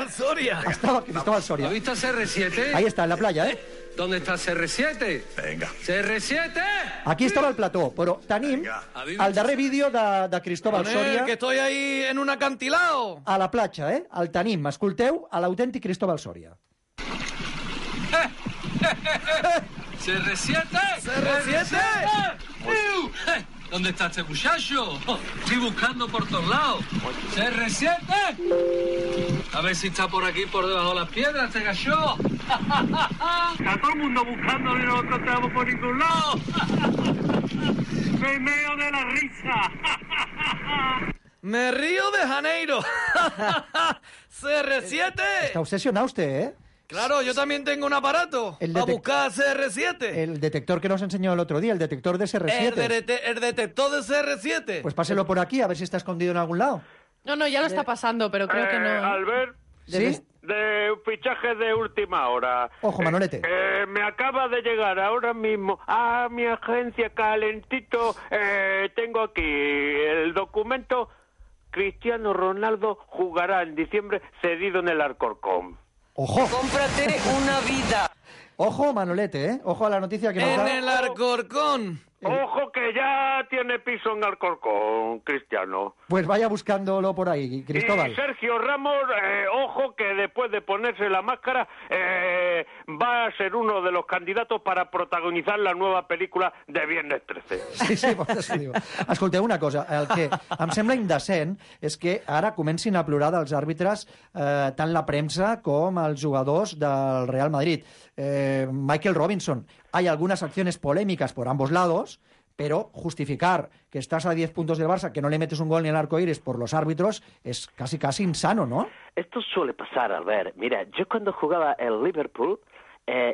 Soria. Estaba Cristóbal Soria. ¿Has visto CR7? Ahí está, en la playa, ¿eh? ¿Dónde está CR7? Venga. CR7! Aquí estava el plató, però tenim el darrer vídeo de Cristóbal Soria... que estoy ahí en un acantilado. A la platja, eh? El tenim, escolteu, a l'autèntic Cristóbal Soria. ¿CR7? ¿CR7? ¿Dónde está este muchacho? Estoy buscando por todos lados. ¿CR7? A ver si está por aquí, por debajo de las piedras, este gallo. Está todo el mundo buscándolo y no lo encontramos por ningún lado. Me meo de la risa. Me río de Janeiro. CR7. Está obsesionado usted, ¿eh? Claro, yo también tengo un aparato a buscar CR7. El detector que nos enseñó el otro día, el detector de CR7. El detector de CR7. Pues páselo por aquí, a ver si está escondido en algún lado. No, ya lo está pasando, pero creo que no. Albert, ¿Sí? de fichaje de última hora. Ojo, Manolete. Me acaba de llegar ahora mismo a mi agencia calentito. Tengo aquí el documento. Cristiano Ronaldo jugará en diciembre cedido en el Alcorcón. ¡Ojo! ¡Cómprate una vida! Ojo, Manolete, ¿eh? Ojo a la noticia que nos da... En el Alcorcón. Ojo que ya tiene piso en Alcorcón, Cristiano. Pues vaya buscándolo por ahí, Cristóbal. Y Sergio Ramos, ojo que después de ponerse la máscara va a ser uno de los candidatos para protagonizar la nueva pel·lícula de Viernes 13. Sí, per això diu. Escolteu una cosa, el que em sembla indecent és que ara comencin a plorar dels àrbitres tant la premsa com els jugadors del Real Madrid. Michael Robinson, hay algunas acciones polémicas por ambos lados, pero justificar que estás a 10 puntos del Barça, que no le metes un gol ni al arco iris por los árbitros, es casi insano, ¿no? Esto suele pasar, Albert. Mira, yo cuando jugaba el Liverpool,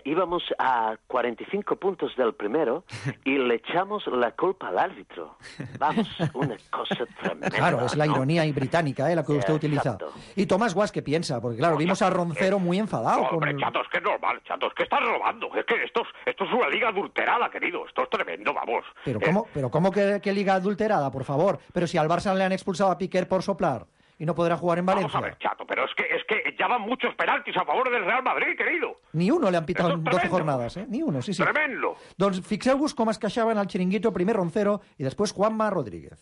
íbamos a 45 puntos del primero y le echamos la culpa al árbitro. Vamos, una cosa tremenda. Claro, es la ironía británica, la que usted utiliza. Exacto. Y Tomás Guas, ¿qué piensa? Porque claro, vimos a Roncero muy enfadado. No, hombre, Chato, es que es normal, Chato, es que estás robando. Es que esto es una liga adulterada, querido. Esto es tremendo, vamos. Pero ¿cómo que liga adulterada, por favor? Pero si al Barça le han expulsado a Piqué por soplar y no podrá jugar en Valencia. Vamos a ver, Chato, pero es que ya van muchos penaltis a favor del Real Madrid, querido. Ni uno le han pitado en 12 jornadas, ¿eh? Ni uno, sí. Tremendo. Doncs fixeu-vos com es queixaven al chiringuito, primer Roncero y después Juanma Rodríguez.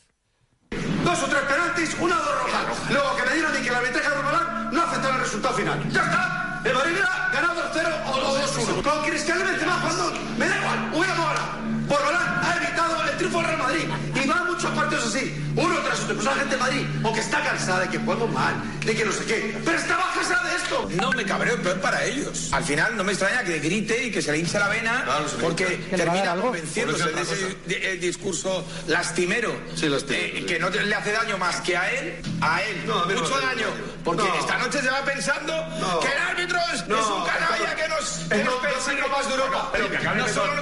2 o 3 penaltis, 1 o 2 rojas. Luego que me digan que la arbitraje de Romalán no afecta al resultado final. ¡Ya está! El Madrid ha ganado 2-0 o 2-1. Con Cristiano Benzema jugando, me da igual, hubiéramos ganado. Borbalán ha evitado el triunfo del Real Madrid. Y van muchos partidos así, uno tras otro. Pues la gente de Madrid, o que está cansada de que jueguen mal, de que no sé qué, pero estaba cansada de esto. No me cabreo, peor para ellos. Al final no me extraña que grite y que se le hinche la vena, porque termina convenciéndose de ese discurso lastimero, que no le hace daño más que a él, mucho daño. Porque esta noche se va pensando que el árbitro es un canalla que nos persigue más de Europa. No solo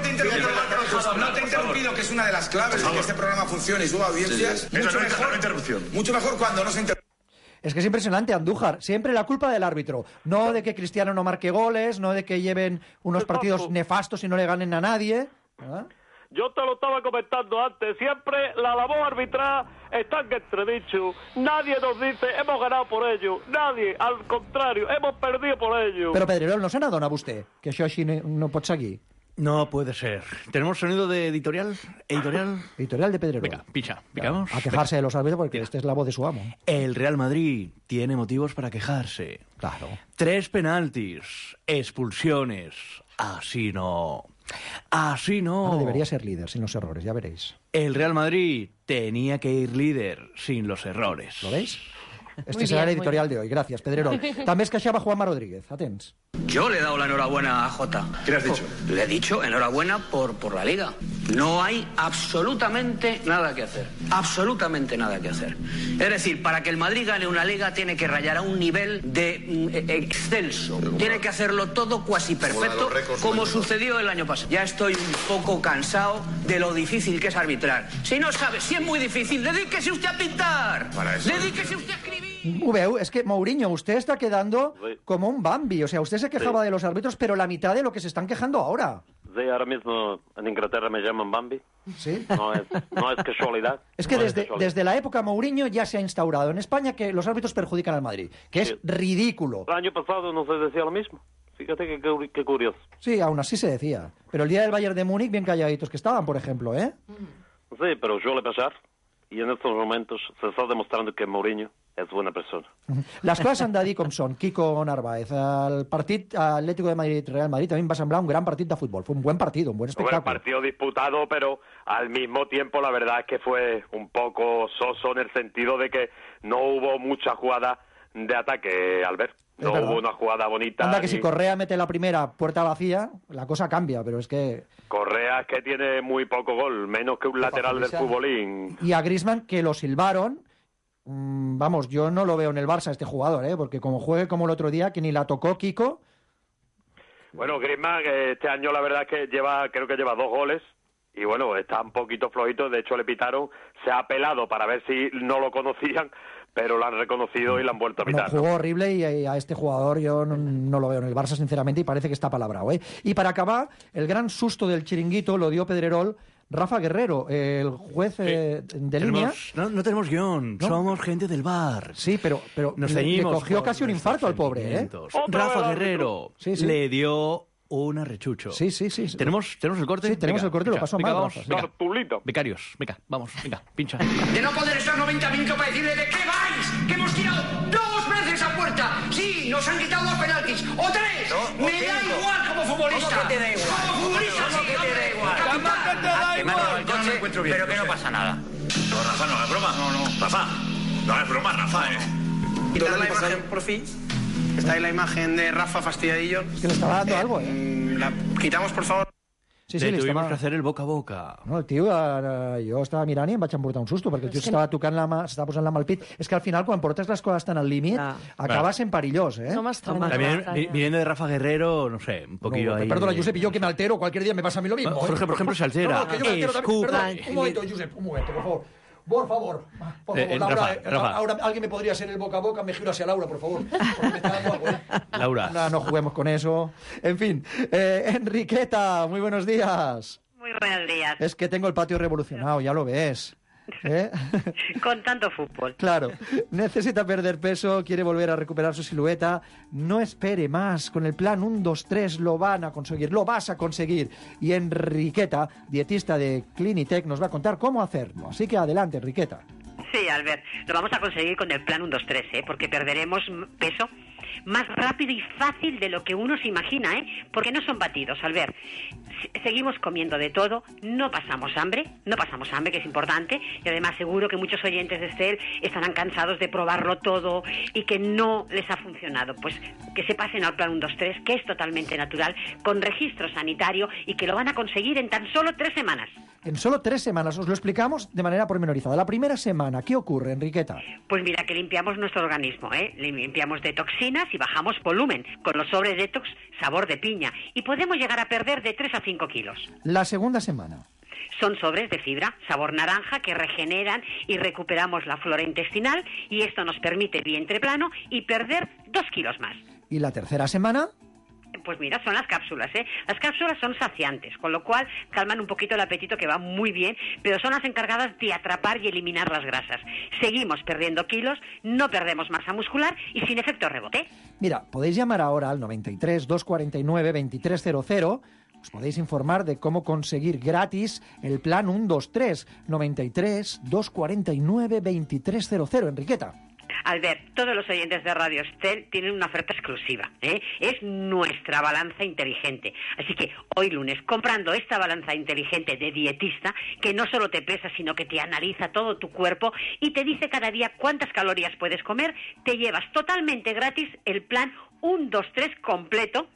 no te he interrumpido, que es una de las claves de que este programa funcione y suba audiencias. Mucho mejor cuando no se interrumpe. Es que es impresionante, Andújar. Siempre la culpa del árbitro. No de que Cristiano no marque goles, no de que lleven unos partidos nefastos y no le ganen a nadie. ¿Ah? Yo te lo estaba comentando antes. Siempre la labor arbitral está en entredicho. Nadie nos dice hemos ganado por ello. Nadie, al contrario, hemos perdido por ello. Pero Pedrerol, no se n'adona vostè que això així no pot seguir? No puede ser. ¿Tenemos sonido de editorial? Editorial de Pedrerol. Venga, picamos. A quejarse de los árbitros porque esta es la voz de su amo. El Real Madrid tiene motivos para quejarse. Claro. 3 penaltis, expulsiones. Así no. Ahora debería ser líder sin los errores, ya veréis. El Real Madrid tenía que ir líder sin los errores. ¿Lo veis? Este será el editorial de hoy. Gracias, Pedrerol. També es queixava Juanma Rodríguez. Atents. Yo le he dado la enhorabuena a Jota. ¿Qué le has dicho? Le he dicho enhorabuena por la Liga. No hay absolutamente nada que hacer. Absolutamente nada que hacer. Es decir, para que el Madrid gane una Liga tiene que rayar a un nivel de excelso. Tiene que hacerlo todo cuasi perfecto, como sucedió el año pasado. Ya estoy un poco cansado de lo difícil que es arbitrar. Si no sabe, si es muy difícil, dedíquese usted a pintar. Dedíquese usted a escribir. Veu, es que Mourinho, usted está quedando como un Bambi. O sea, usted se quejaba de los árbitros, pero la mitad de lo que se están quejando ahora. Sí, ahora mismo en Inglaterra me llaman Bambi. ¿Sí? No es casualidad. Es que no desde la época Mourinho ya se ha instaurado en España que los árbitros perjudican al Madrid, que es ridículo. El año pasado no se decía lo mismo. Fíjate qué curioso. Sí, aún así se decía. Pero el día del Bayern de Múnich, bien calladitos que estaban, por ejemplo, ¿eh? Sí, pero suele pasar. Y en estos momentos se está demostrando que Mourinho és buena persona. Les coses han de dir com són. Kiko Narváez, el partit Atlético de Madrid-Real Madrid también va a semblar un gran partit de fútbol. Fue un buen partido, un buen espectáculo. Bueno, partido disputado, pero al mismo tiempo la verdad es que fue un poco soso en el sentido de que no hubo mucha jugada de ataque, Albert. No hubo una jugada bonita. Anda que si Correa mete la primera puerta vacía, la cosa cambia, pero es que... Correa es que tiene muy poco gol, menos que un lateral del futbolín. Y a Griezmann, que lo silbaron... Vamos, yo no lo veo en el Barça este jugador, porque como juegue como el otro día, que ni la tocó Kiko. Bueno, Griezmann este año la verdad es que creo que lleva 2 goles y bueno, está un poquito flojito, de hecho le pitaron, se ha apelado para ver si no lo conocían, pero lo han reconocido y lo han vuelto a pitar. Jugó horrible y a este jugador yo no lo veo en el Barça sinceramente y parece que está palabrado, Y para acabar, el gran susto del chiringuito lo dio Pedrerol. Rafa Guerrero, el juez de línea... No tenemos guión, ¿no? Somos gente del bar. Sí, pero le cogió casi un infarto al pobre, Rafa Guerrero le dio un arrechucho. Sí. ¿Tenemos el corte? Sí, tenemos el corte, lo paso mal. Becarios, vamos, pincha. De no poder estar 90 minutos para decirle de qué vais, que hemos tirado 2 veces a puerta. Sí, nos han quitado 2 penaltis, o 3. Me da igual como futbolista. ¿Cómo que te da igual? Como futbolista, ¿Cómo que te da igual? Que me ha dado el coche, pero que no pasa nada. No, Rafa, no es broma. No. Rafa, no es broma, Rafa, Quitar la imagen, por fin. Está ahí la imagen de Rafa fastidiadillo. Que le estaba dando algo, La quitamos, por favor. Sí, tuvimos que hacer el boca a boca. No, el tio, jo estava mirant i em vaig emportar un susto, perquè el tio s'estava tocant s'estava posant la mà al pit. És que al final, quan portes les coses tan al límit, acabas en perillós, No m'estranya. También, viniendo de Rafa Guerrero, no sé, un poquillo ahí... Perdona, Josep, y yo que me altero, cualquier día me pasa a mí lo mismo. Jorge, por ejemplo, se altera. No, que yo me altero también. Perdón, un momento, Josep, un momento, por favor. Por favor, Laura, Rafa. Ahora alguien me podría hacer el boca a boca, me giro hacia Laura, por favor. Porque me está dando algo, Laura. No juguemos con eso. En fin, Enriqueta, muy buenos días. Muy buenos días. Es que tengo el patio revolucionado, ya lo ves. Con tanto fútbol. Claro, necesita perder peso, quiere volver a recuperar su silueta. No espere más, con el plan 1, 2, 3 lo van a conseguir, lo vas a conseguir. Y Enriqueta, dietista de Clinitec, nos va a contar cómo hacerlo. Así que adelante, Enriqueta. Sí, Albert, lo vamos a conseguir con el plan 1, 2, 3, porque perderemos peso más rápido y fácil de lo que uno se imagina, porque no son batidos, Albert. Seguimos comiendo de todo, no pasamos hambre, que es importante, y además seguro que muchos oyentes de Estel estarán cansados de probarlo todo y que no les ha funcionado. Pues que se pasen al plan 1, 2, 3, que es totalmente natural, con registro sanitario y que lo van a conseguir en tan solo 3 semanas. En solo 3 semanas, os lo explicamos de manera pormenorizada. La primera semana, ¿qué ocurre, Enriqueta? Pues mira, que limpiamos nuestro organismo, limpiamos de toxinas y bajamos volumen, con los sobres detox sabor de piña, y podemos llegar a perder de 3 a 5 kilos. La segunda semana. Son sobres de fibra, sabor naranja, que regeneran y recuperamos la flora intestinal, y esto nos permite vientre plano y perder 2 kilos más. ¿Y la tercera semana? Pues mira, son las cápsulas, Las cápsulas son saciantes, con lo cual calman un poquito el apetito, que va muy bien, pero son las encargadas de atrapar y eliminar las grasas. Seguimos perdiendo kilos, no perdemos masa muscular y sin efecto rebote. Mira, podéis llamar ahora al 93 249 2300. Os podéis informar de cómo conseguir gratis el plan 1, 2, 3. 93 249 2300. Enriqueta. Albert, todos los oyentes de Radio Estel tienen una oferta exclusiva, Es nuestra balanza inteligente. Así que hoy lunes, comprando esta balanza inteligente de dietista, que no solo te pesa, sino que te analiza todo tu cuerpo y te dice cada día cuántas calorías puedes comer, te llevas totalmente gratis el plan 1, 2, 3 completo,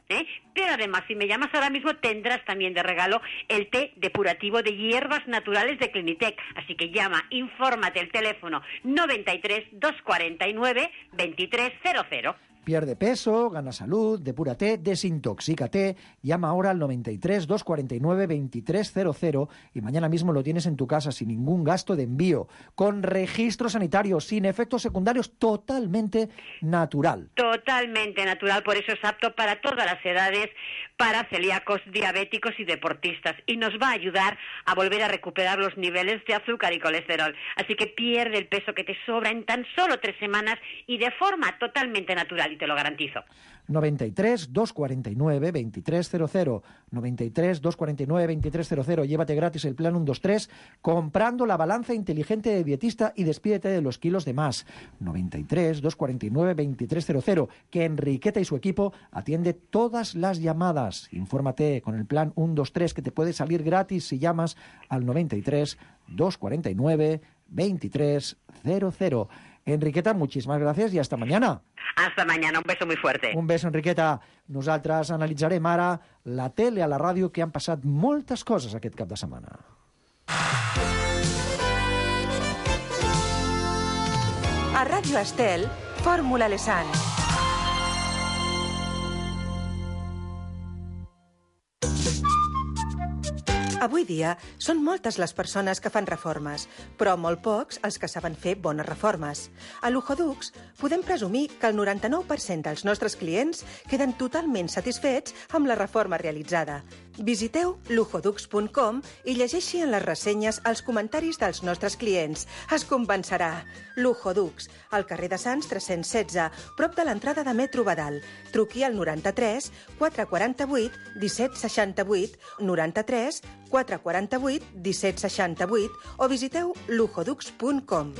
Pero además, si me llamas ahora mismo, tendrás también de regalo el té depurativo de hierbas naturales de Clinitec. Así que llama, infórmate, el teléfono 93 249 2300. Pierde peso, gana salud, depúrate, desintoxícate. Llama ahora al 93 249 2300 y mañana mismo lo tienes en tu casa sin ningún gasto de envío, con registro sanitario, sin efectos secundarios, totalmente natural. Totalmente natural, por eso es apto para todas las edades, para celíacos, diabéticos y deportistas. Y nos va a ayudar a volver a recuperar los niveles de azúcar y colesterol. Así que pierde el peso que te sobra en tan solo 3 semanas y de forma totalmente natural, y te lo garantizo. 93 249 2300. 93 249 2300. Llévate gratis el plan 123 comprando la balanza inteligente de dietista y despídete de los kilos de más. 93 249 2300. Que Enriqueta y su equipo atiende todas las llamadas. Infórmate con el plan 123 que te puede salir gratis si llamas al 93 249 2300. Enriqueta, muchísimas gracias y hasta mañana. Hasta mañana, un beso muy fuerte. Un beso, Enriqueta. Nosaltres analitzarem ara la tele a la ràdio, que han passat moltes coses aquest cap de setmana. A Ràdio Estel, Fórmula Lesan. Avui dia són moltes les persones que fan reformes, però molt pocs els que saben fer bones reformes. A Luxodux podem presumir que el 99% dels nostres clients queden totalment satisfets amb la reforma realitzada. Visiteu luxodux.com i llegeixi en les ressenyes els comentaris dels nostres clients. Es convencerà. Luxodux, al carrer de Sants 316, prop de l'entrada de Metro Badal. Truqui al 93 448 1768, 93 448 1768 o visiteu luxodux.com.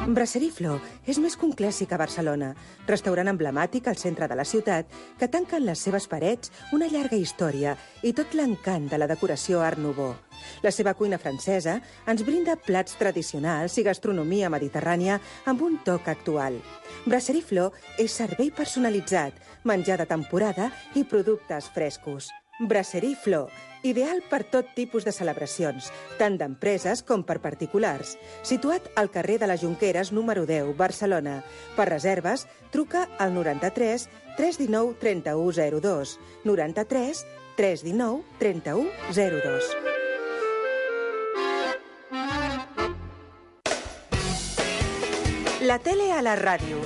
Brasserie Flor és més que un clàssic a Barcelona, restaurant emblemàtic al centre de la ciutat que tanca en les seves parets una llarga història i tot l'encant de la decoració Art Nouveau. La seva cuina francesa ens brinda plats tradicionals i gastronomia mediterrània amb un toc actual. Brasserie Flor és servei personalitzat, menjar de temporada i productes frescos. Brasserie Flor, ideal per tot tipus de celebracions, tant d'empreses com per particulars. Situat al carrer de les Jonqueres, número 10, Barcelona. Per reserves, truca al 93 319 3102. 93 319 3102. La tele a la ràdio.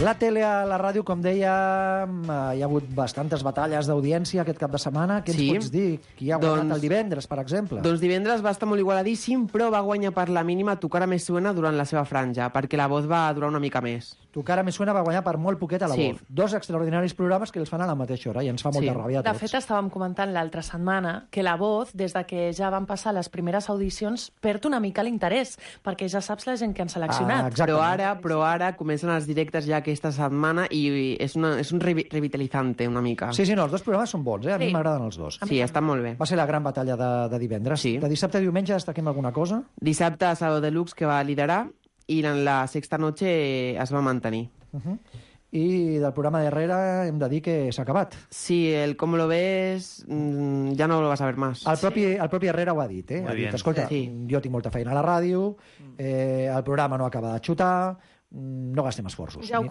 La tele a la ràdio, com dèiem, hi ha hagut bastantes batalles d'audiència aquest cap de setmana. Què ens pots dir? Qui ha guanyat el divendres, per exemple? Doncs divendres va estar molt igualadíssim, però va guanyar per la mínima Tu cara me suena durant la seva franja, perquè La Voz va durar una mica més. Tu cara me suena va guanyar per molt poquet a La Voz. Dos extraordinaris programes que els fan a la mateixa hora i ens fa molta ràbia a tots. De fet, estàvem comentant l'altra setmana que La Voz, des de que ja van passar les primeres audicions, perd una mica l'interès, perquè ja saps la gent que han seleccionat. Però ara comencen els directes ja aquesta setmana i és un revitalitzante una mica. Sí, no, els dos programes són bons, a mi m'agraden els dos. Sí, estan molt bé. Va ser la gran batalla de divendres. Sí. De dissabte a diumenge destaquem alguna cosa? Dissabte, Sábado Deluxe, que va liderar, i en la sexta noche es va mantenir. I del programa darrere hem de dir que s'ha acabat. Sí, el Com lo ves ja no lo vas a ver más. El propi Herrera ho ha dit, Ha dit, escolta, jo tinc molta feina a la ràdio, el programa no acaba de xutar, no gastem esforços. Ja ho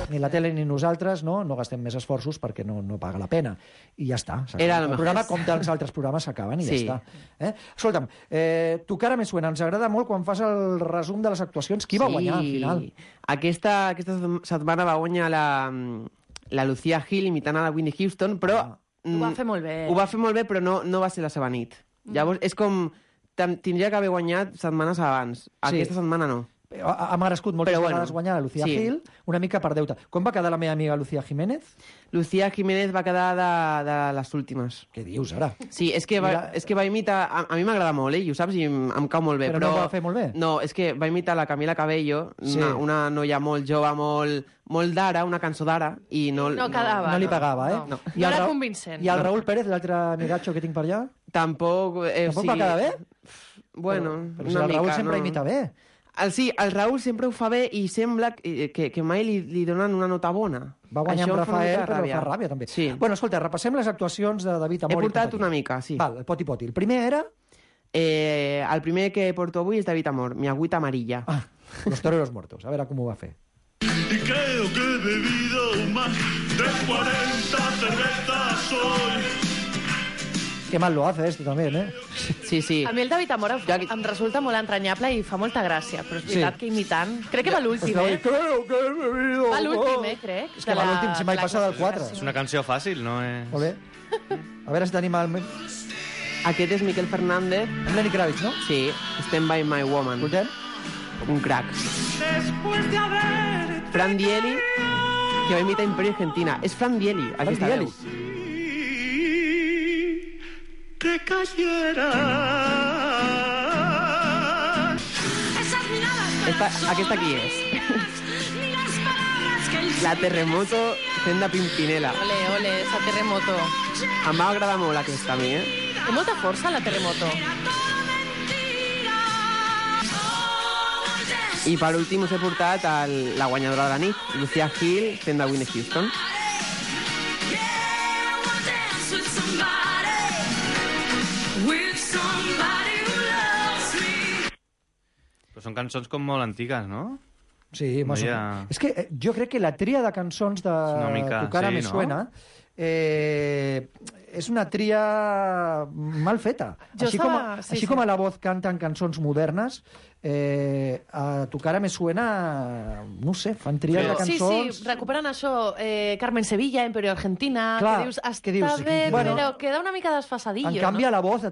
ni la tele ni nosaltres no gastem més esforços perquè no paga la pena. I ja està. El programa, com tants altres programes, s'acaben i ja està. Escolta'm, Tu cara me suena, ens agrada molt quan fas el resum de les actuacions. Qui va guanyar al final? Aquesta setmana va guanyar la Lucía Gil imitant a la Whitney Houston, però... Ho va fer molt bé. Ho va fer molt bé, però no va ser la seva nit. Llavors, és com... Tindria que haver guanyat setmanes abans. Aquesta setmana no. Ha merescut moltes vegades guanyar la Lucía Gil, una mica per deute. Com va quedar la meva amiga Lucía Jiménez? Lucía Jiménez va quedar de les últimes. Què dius, ara? Sí, és que va imitar... A mi m'agrada molt, i ho saps, i em cau molt bé. Però no ho va fer molt bé? No, és que va imitar la Camila Cabello, una noia molt jove, molt d'ara, una cançó d'ara, i no quedava. No li pagava, No era convincent. I el Raúl Pérez, l'altre amigatxo que tinc per allà? Tampoc va quedar bé? Bueno, però si el Raúl sempre imita bé. Sí, el Raúl sempre ho fa bé i sembla que mai li donen una nota bona. Va guanyar amb Rafael, però fa ràbia, també. Sí. Bueno, escolta, repassem les actuacions de David Amor. He portat una mica, sí. Val, el poti-poti. El primer era... El primer que porto avui és David Amor, Mi agüita amarilla. Los toreros muertos. A veure com ho va fer. Y creo que he bebido más de 40 cervezas hoy. Qué mal lo hace también, ¿eh? Sí, sí. A mi el David Amor em resulta molt entranyable i fa molta gràcia, però és veritat que imitant... Crec que va l'últim, Creo que he bebido. Va l'últim, crec. És que va l'últim, si mai passa del 4. És una canció fàcil, no? Molt bé. A veure si tenim el... Aquest és Miquel Fernández. Lenny Kravitz, no? Sí, Stand By My Woman. Escoltem? Un crack. Fran Dieli, que va imitar Imperio Argentina. És Fran Dieli, aquesta veu. Que cayera. Aquesta qui és? La Terremoto fent de Pimpinela. Ole, ole, esa Terremoto. Em va agradar molt aquesta a mi, Té molta força, la Terremoto. I per últim us he portat la guanyadora de la nit, Lucía Gil, fent de Whitney Houston. Però són cançons com molt antigues, no? Sí, no ha... És que jo crec que la tria de cançons de Tu cara me suena és una tria mal feta. Així com a La Voz canten cançons modernes, a Tu cara me suena, no sé, fan tries de cançons... Sí, recuperen això, Carmen Sevilla, Imperio Argentina, clar, que dius, està bé, però queda una mica desfasadillo, en canvi, no? a La Voz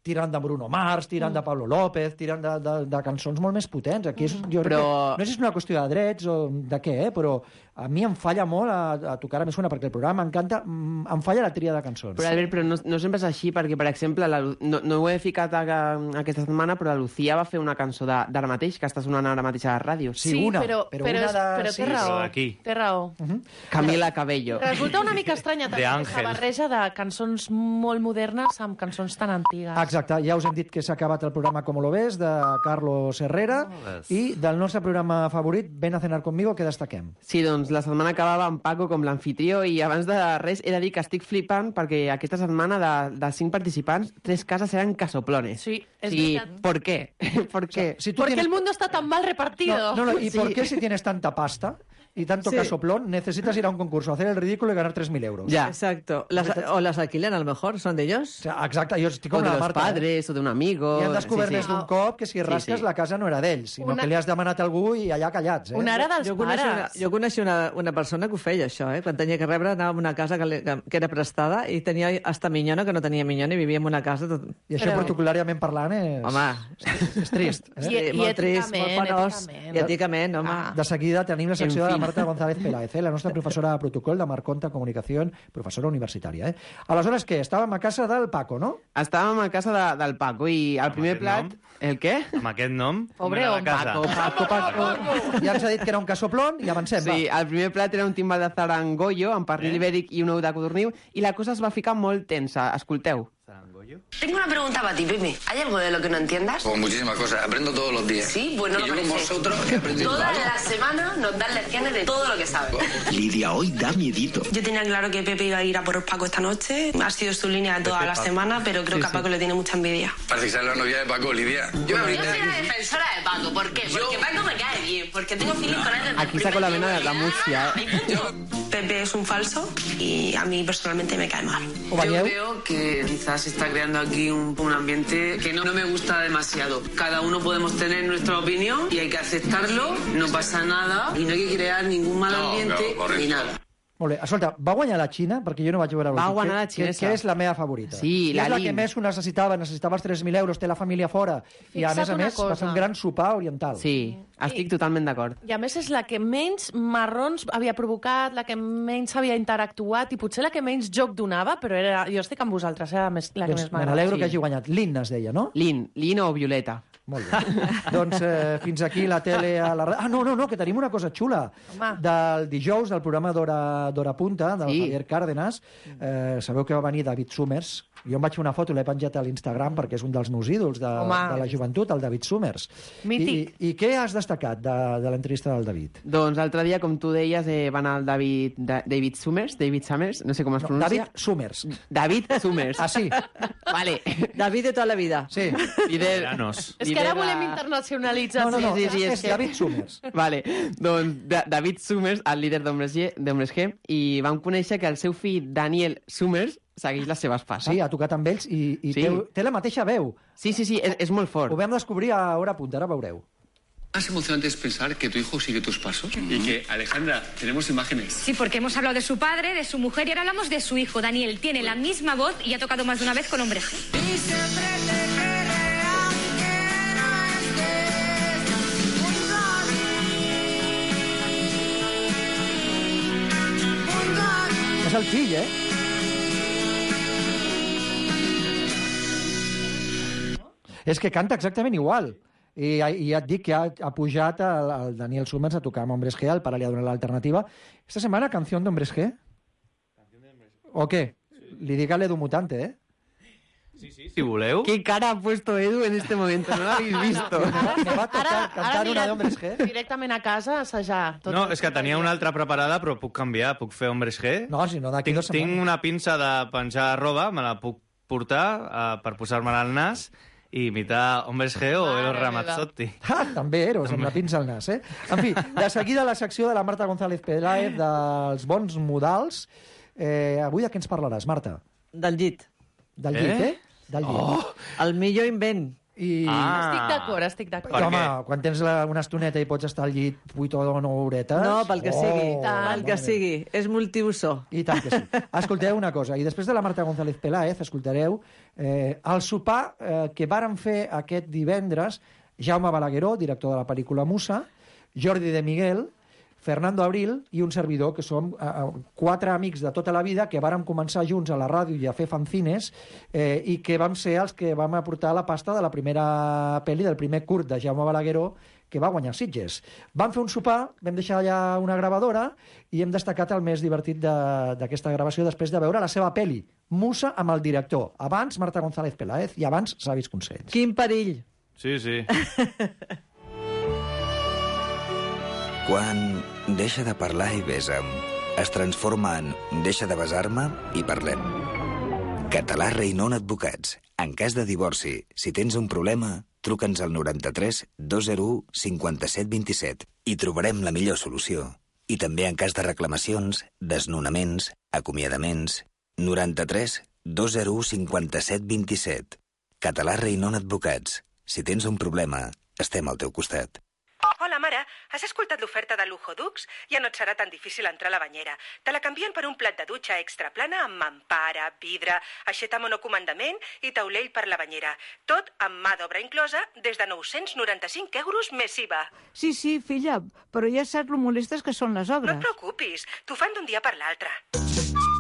tiren de Bruno Mars, tiren de Pablo López, tiren de cançons molt més potents. Aquí jo crec que, no sé si és una qüestió de drets o de què, però a mi em falla molt a Tu cara me suena, perquè el programa m'encanta, em falla la tria de cançons. Però, Albert, però no sempre és així, perquè, per exemple, no ho he ficat aquesta setmana, però la Lucía va fer una cançó d'ara mateix, que està sonant ara mateix a la ràdio. Sí, una, però té raó. Té raó. Camila Cabello. Resulta una mica estranya també aquesta barreja de cançons molt modernes amb cançons tan antigues. Exacte, ja us hem dit que s'ha acabat el programa Com lo ves, de Carlos Herrera, i del nostre programa favorit, Ven a cenar conmigo, què destaquem? Sí, doncs la setmana acabava amb Paco com l'anfitrió i abans de res he de dir que estic flipant perquè aquesta setmana de 5 participants, 3 cases eren casoplones. Sí, és veritat. ¿Por qué? ¿Por qué? Si Porque el mundo está tan mal repartido. ¿Y por qué si tienes tanta pasta y tanto casoplón necesitas ir a un concurso, hacer el ridículo y ganar 3.000 euros? Ya. Exacto. O las alquilan, a lo mejor, son de ellos. O sea, exacte, jo estic com o de la los Marta. padres, o d'un amigo... I han descobert més d'un cop que si rasques la casa no era d'ells, sinó que li has demanat a algú i allà callats. Una ara dels pares. Jo coneixia una persona que ho feia, això, Quan tenia que rebre, anava a una casa que era prestada i tenia hasta minyona, que no tenia minyona, i vivia en una casa... I això, protocolàriament parlant, és trist. Molt trist, molt penós. I èticament, home. De seguida tenim la secció de la Marta González Peláez, la nostra professora de protocol de Marconta Comunicació, professora universitària. Aleshores, què? Estàvem a casa del Paco, no? Estàvem a casa del Paco i el primer plat... El què? Amb aquest nom? Pobre home. Paco. Ja ens ha dit que era un casoplón i avancem, Sí, el primer plat era un timbal de zarangollo amb pernil ibèric i un ou de codorniu i la cosa es va ficar molt tensa. Escolteu. Tengo una pregunta para ti, Pepe. ¿Hay algo de lo que no entiendas? Pues muchísimas cosas. Aprendo todos los días. Sí, bueno, y yo con vosotros he aprendido. Todas las semanas nos dan lecciones de todo lo que sabes. Lidia, hoy da miedito. Yo tenía claro que Pepe iba a ir a por Paco esta noche. Ha sido su línea toda la semana, pero creo que a Paco le tiene mucha envidia. Parece que sale la novia de Paco, Lidia. Yo soy la defensora de Paco. ¿Por qué? Porque Paco me cae bien. Porque tengo feeling con él desde Aquí saco la vena de la Murcia. Pepe es un falso y a mí personalmente me cae mal. Yo veo que quizás se está creando aquí un ambiente que no me gusta demasiado. Cada uno podemos tener nuestra opinión y hay que aceptarlo, no pasa nada y no hay que crear ningún mal ambiente ni nada. Molt bé, escolta, va guanyar la Xina, perquè jo no vaig veure... Va guanyar la xinesa. Que és la meva favorita. Sí, la és la Lin. que més ho necessitava els 3.000 euros, té la família fora, i a més va fer un gran sopar oriental. Sí, estic totalment d'acord. I a més és la que menys marrons havia provocat, la que menys havia interactuat i potser la que menys joc donava, però jo estic amb vosaltres, la que més m'agrada. Me n'alegro que hagi guanyat. Lin es deia, no? Lin o Violeta. Molt bé. Doncs fins aquí la tele a la... Ah, no, que tenim una cosa xula. Del dijous, del programa d'Hora Punta, del Javier Cárdenas. Sabeu que va venir David Summers, Jo em vaig fer una foto i l'he penjat a l'Instagram perquè és un dels meus ídols de la joventut, el David Summers. Mític. I què has destacat de l'entrevista del David? Doncs l'altre dia, com tu deies, va anar el David Summers, no sé com es pronuncia. David Summers. David Summers. Ah, sí? Vale. David de tota la vida. Sí. És És que ara volem internacionalitzar. No, Sí, és David Summers. Vale, doncs David Summers, el líder d'Hombres G, i vam conèixer que el seu fill Daniel Summers segueix les seves passes. Sí, ha tocat amb ells i té la mateixa veu. Sí, és molt fort. Ho vam descobrir a Hora Punta, ara veureu. Más emocionante es pensar que tu hijo sigue tus pasos y que, Alejandra, tenemos imágenes. Sí, porque hemos hablado de su padre, de su mujer y ahora hablamos de su hijo. Daniel tiene la misma voz y ha tocado más de una vez con Hombres G. És el fill, És que canta exactament igual. I ja et dic que ha pujat el Daniel Summers a tocar amb Hombres G, el pare li ha donat l'alternativa. Esta setmana, canción de Hombres G? ¿O qué? Li dic a l'Edu Mutante, Sí, si voleu. ¿Qué cara ha puesto Edu en este momento? No l'habéis visto. Me va tocar cantar una d'Hombres G. Directament a casa, a assajar. No, és que tenia una altra preparada, però puc canviar, puc fer Hombres G. No, si no, d'aquí 2 setmanes. Tinc una pinça de penjar roba, me la puc portar per posar-me-la al nas i imitar Hombres G o Eros Ramazzotti. També Eros, amb la pinça al nas, En fi, de seguida la secció de la Marta González Peláez dels bons modals. Avui de què ens parlaràs, Marta? Del llit. Del llit, Del llit. El millor invent. Estic d'acord. Home, quan tens una estoneta i pots estar al llit 8 o 9 horetes... No, pel que sigui. Pel que sigui. És multiuso. I tant que sí. Escolteu una cosa, i després de la Marta González Peláez escoltareu el sopar que varen fer aquest divendres Jaume Balagueró, director de la pel·lícula Musa, Jordi de Miguel, Fernando Abril i un servidor, que som 4 amics de tota la vida que vàrem començar junts a la ràdio i a fer fanzines i que vam ser els que vam aportar la pasta de la primera pel·li, del primer curt de Jaume Balagueró, que va guanyar Sitges. Vam fer un sopar, vam deixar allà una gravadora i hem destacat el més divertit d'aquesta gravació després de veure la seva pel·li, Musa, amb el director. Abans Marta González Peláez i abans Savis Consells. Quin perill! Sí. Quan deixa de parlar i besa'm, es transforma en deixa de besar-me i parlem. Català Reinon Advocats. En cas de divorci, si tens un problema, truca'ns al 93 201 57 27 i trobarem la millor solució. I també en cas de reclamacions, desnonaments, acomiadaments... 93 201 57 27. Català Reinon Advocats. Si tens un problema, estem al teu costat. Hola, mare. Has escoltat l'oferta de Lujo Dux? Ja no et serà tan difícil entrar a la banyera. Te la canvien per un plat de dutxa extra plana amb mampara, vidre, aixeta monocomandament i taulell per la banyera. Tot amb mà d'obra inclosa des de 995 euros més IVA. Sí, filla, però ja saps lo molestes que són les No obres. et preocupis, t'ho fan d'un dia per l'altre.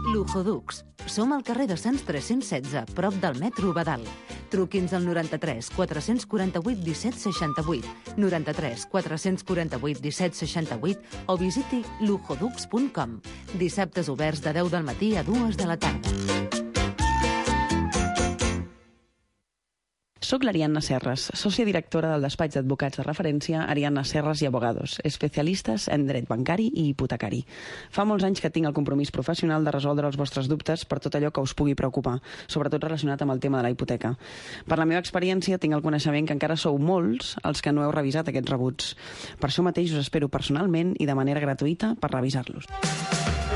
Lujo Dux. Som al carrer de Sants 316, prop del metro Badal. Truqui'ns al 93 448 17 68, 93 448 17 68 o visiti lujodux.com. Dissabtes oberts de 10 del matí a 2 de la tarda. Soc l'Ariadna Serras, sòcia directora del despatx d'advocats de referència Ariadna Serras i Abogados, especialistes en dret bancari i hipotecari. Fa molts anys que tinc el compromís professional de resoldre els vostres dubtes per tot allò que us pugui preocupar, sobretot relacionat amb el tema de la hipoteca. Per la meva experiència tinc el coneixement que encara sou molts els que no heu revisat aquests rebuts. Per això mateix us espero personalment i de manera gratuïta per revisar-los.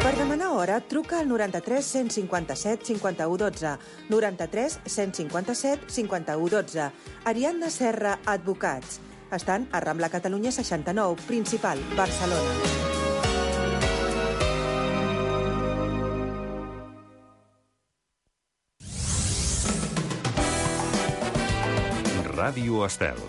Per demanar hora, truca al 93 157 51 12, 93 157 51 12. Ariadna Serra Advocats. Estan a Rambla Catalunya 69, Principal, Barcelona. Ràdio Estel.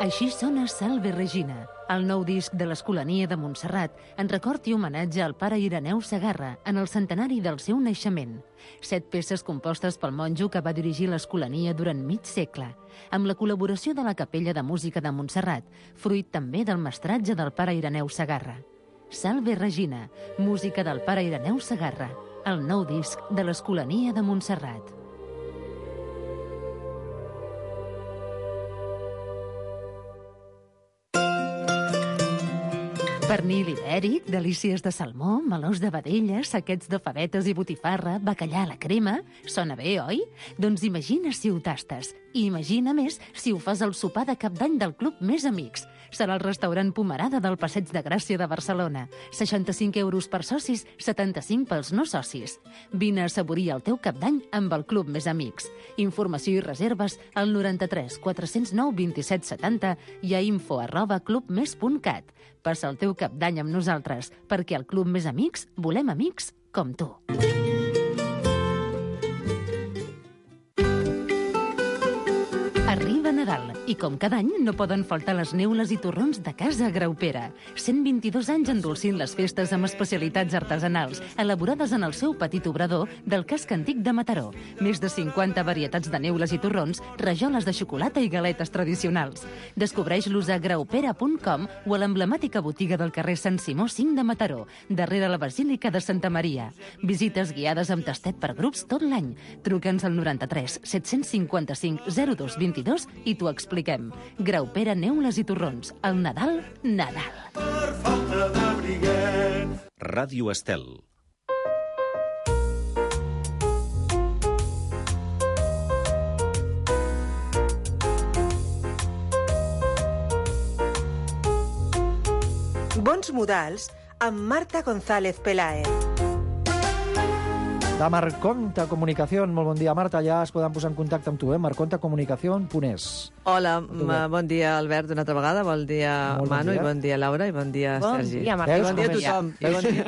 Així sona Salve Regina, El nou disc de l'Escolania de Montserrat en record i homenatge al pare Ireneu Segarra en el centenari del seu naixement. 7 peces compostes pel monjo que va dirigir l'Escolania durant mig segle, amb la col·laboració de la Capella de Música de Montserrat, fruit també del mestratge del pare Ireneu Segarra. Salve Regina, música del pare Ireneu Segarra, el nou disc de l'Escolania de Montserrat. Pernil ibèric, delícies de salmó, melons de vedella, saquets de favetes i botifarra, bacallà a la crema... Sona bé, oi? Doncs imagina si ho tastes. I imagina més si ho fas al sopar de Cap d'Any del Club Més Amics. Serà el restaurant Pomerada del Passeig de Gràcia de Barcelona. 65 euros per socis, 75 pels no socis. Vine a assaborir el teu Cap d'Any amb el Club Més Amics. Informació i reserves al 93 409 27 70 i a info@clubmes.cat. Passa el teu Cap d'Any amb nosaltres, perquè al Club Més Amics volem amics com tu. Arriba Nadal i, com cada any, no poden faltar les neules i torrons de Casa Graupera. 122 anys endolcint les festes amb especialitats artesanals, elaborades en el seu petit obrador del casc antic de Mataró. Més de 50 varietats de neules i torrons, rajoles de xocolata i galetes tradicionals. Descobreix-los a graupera.com o a l'emblemàtica botiga del carrer Sant Simó 5 de Mataró, darrere la Basílica de Santa Maria. Visites guiades amb tastet per grups tot l'any. Truca'ns al 93 755 02 22 i t'ho expliquem. Graupera, neules i torrons. El Nadal, Nadal. Per falta de briguet. Ràdio Estel. Bons modals amb Marta González Peláez. De Marconta Comunicació. Molt bon dia, Marta. Ja es poden posar en contacte amb tu, marcontacomunicación.es. Hola, bon dia, Albert, una altra vegada. Bon dia, Manu, i bon dia, Laura, i bon dia, Sergi. Bon dia, Marta. Bon dia a tothom.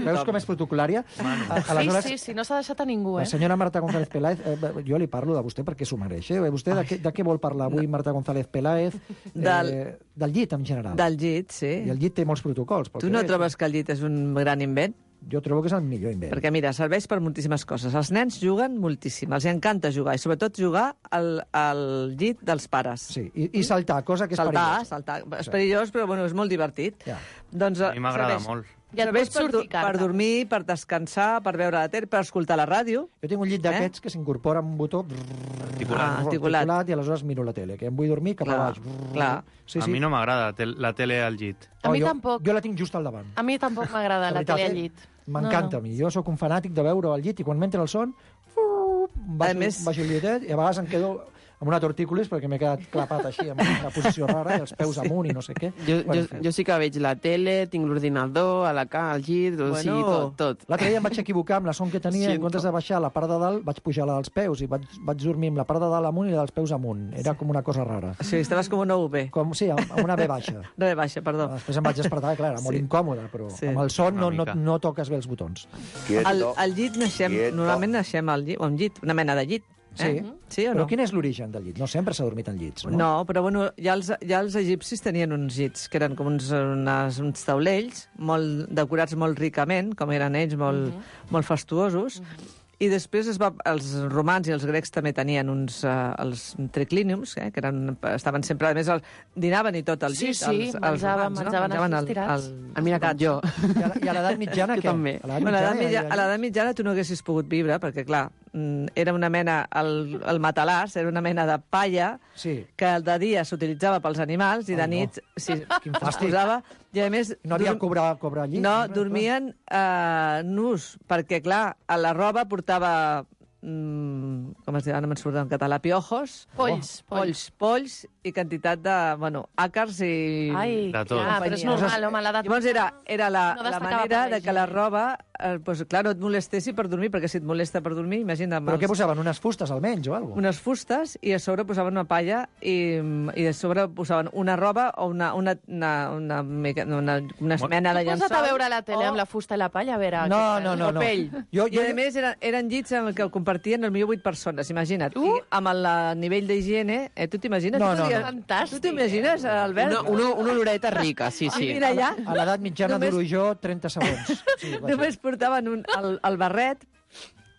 Veus com és protocolària? Sí, no s'ha deixat a ningú, La senyora Marta González Peláez, jo li parlo de vostè perquè s'ho mereix. Vostè de què vol parlar avui, Marta González Peláez? Del llit, en general. Del llit, sí. I el llit té molts protocols. Tu no trobes que el llit és un gran invent? Jo trobo que és el millor invent. Perquè, mira, serveix per moltíssimes coses. Els nens juguen moltíssim, els encanta jugar, i sobretot jugar al llit dels pares. Sí, i saltar, cosa que és perillós. Saltar. És perillós, però bueno, és molt divertit. Ja. Doncs, a mi m'agrada molt. Serveix per dormir, per descansar, per veure la tele, per escoltar la ràdio. Jo tinc un llit d'aquests que s'incorpora amb un botó articulat i aleshores miro la tele, que em vull dormir cap a baix. Clar. Sí. A mi no m'agrada la tele al llit. A mi tampoc. Jo la tinc just al davant. A mi tampoc m'agrada la tele al llit. M'encanta a mi. Jo sóc un fanàtic de veure al llit i quan m'entra el son baixo el llitet i a vegades em quedo amb una tortícolis perquè m'he quedat clapat així, en una posició rara, i els peus amunt i no sé què. Jo sí que veig la tele, tinc l'ordinador, al llit, tot. L'altre dia em vaig equivocar amb la son que tenia, en comptes de baixar la part de dalt, vaig pujar la dels peus i vaig dormir amb la part de dalt amunt i la dels peus amunt. Era com una cosa rara. Sí, estaves com una UB. Sí, amb una B baixa. Una B baixa, perdó. Després em vaig despertar, clar, era molt incòmode, però amb el son no toques bé els botons. Al llit normalment naixem al llit, o un llit, una mena de llit. Sí o no? Però quin és l'origen del llit? No sempre s'ha dormit en llits, no? No, però bueno, ja els egipcis tenien uns llits, que eren com uns taulells, molt decorats molt ricament, com eren ells, molt fastuosos, i després els romans i els grecs també tenien els triclíniums, que estaven sempre, a més, dinaven i tot al llit. Sí, menjaven així estirats. Mira com jo. I a l'edat mitjana, què? també. A l'edat mitjana tu no haguessis pogut viure, perquè, clar, era una mena, el matalàs era una mena de palla que de dia s'utilitzava pels animals i de nit es posava, i a més... No havia cobrar llit? No, dormien nus, perquè, clar, a la roba portava... com es diu, no me'n surt en català, piojos, polls i quantitat de, àcars i... Ai, de tot. però és normal, home, l'edat... Llavors era la manera de que la roba pues, clar, no et molestessi per dormir, perquè si et molesta per dormir, imagina't... Però què posaven? Unes fustes almenys o alguna cosa? Unes fustes i a sobre posaven una palla i a sobre posaven una roba o una mena de llençol. Posa't a veure la tele amb la fusta i la palla, a veure... No. O pell. I a més eren llits en el que compartien potser 8 persones, imagina't. I amb el nivell d'higiene, tu t'imagines? No. Fantàstic. Tu t'imagines, Albert? Una oloreta rica, sí. Mira allà. A l'edat mitjana duro jo 30 segons. Només portaven el barret,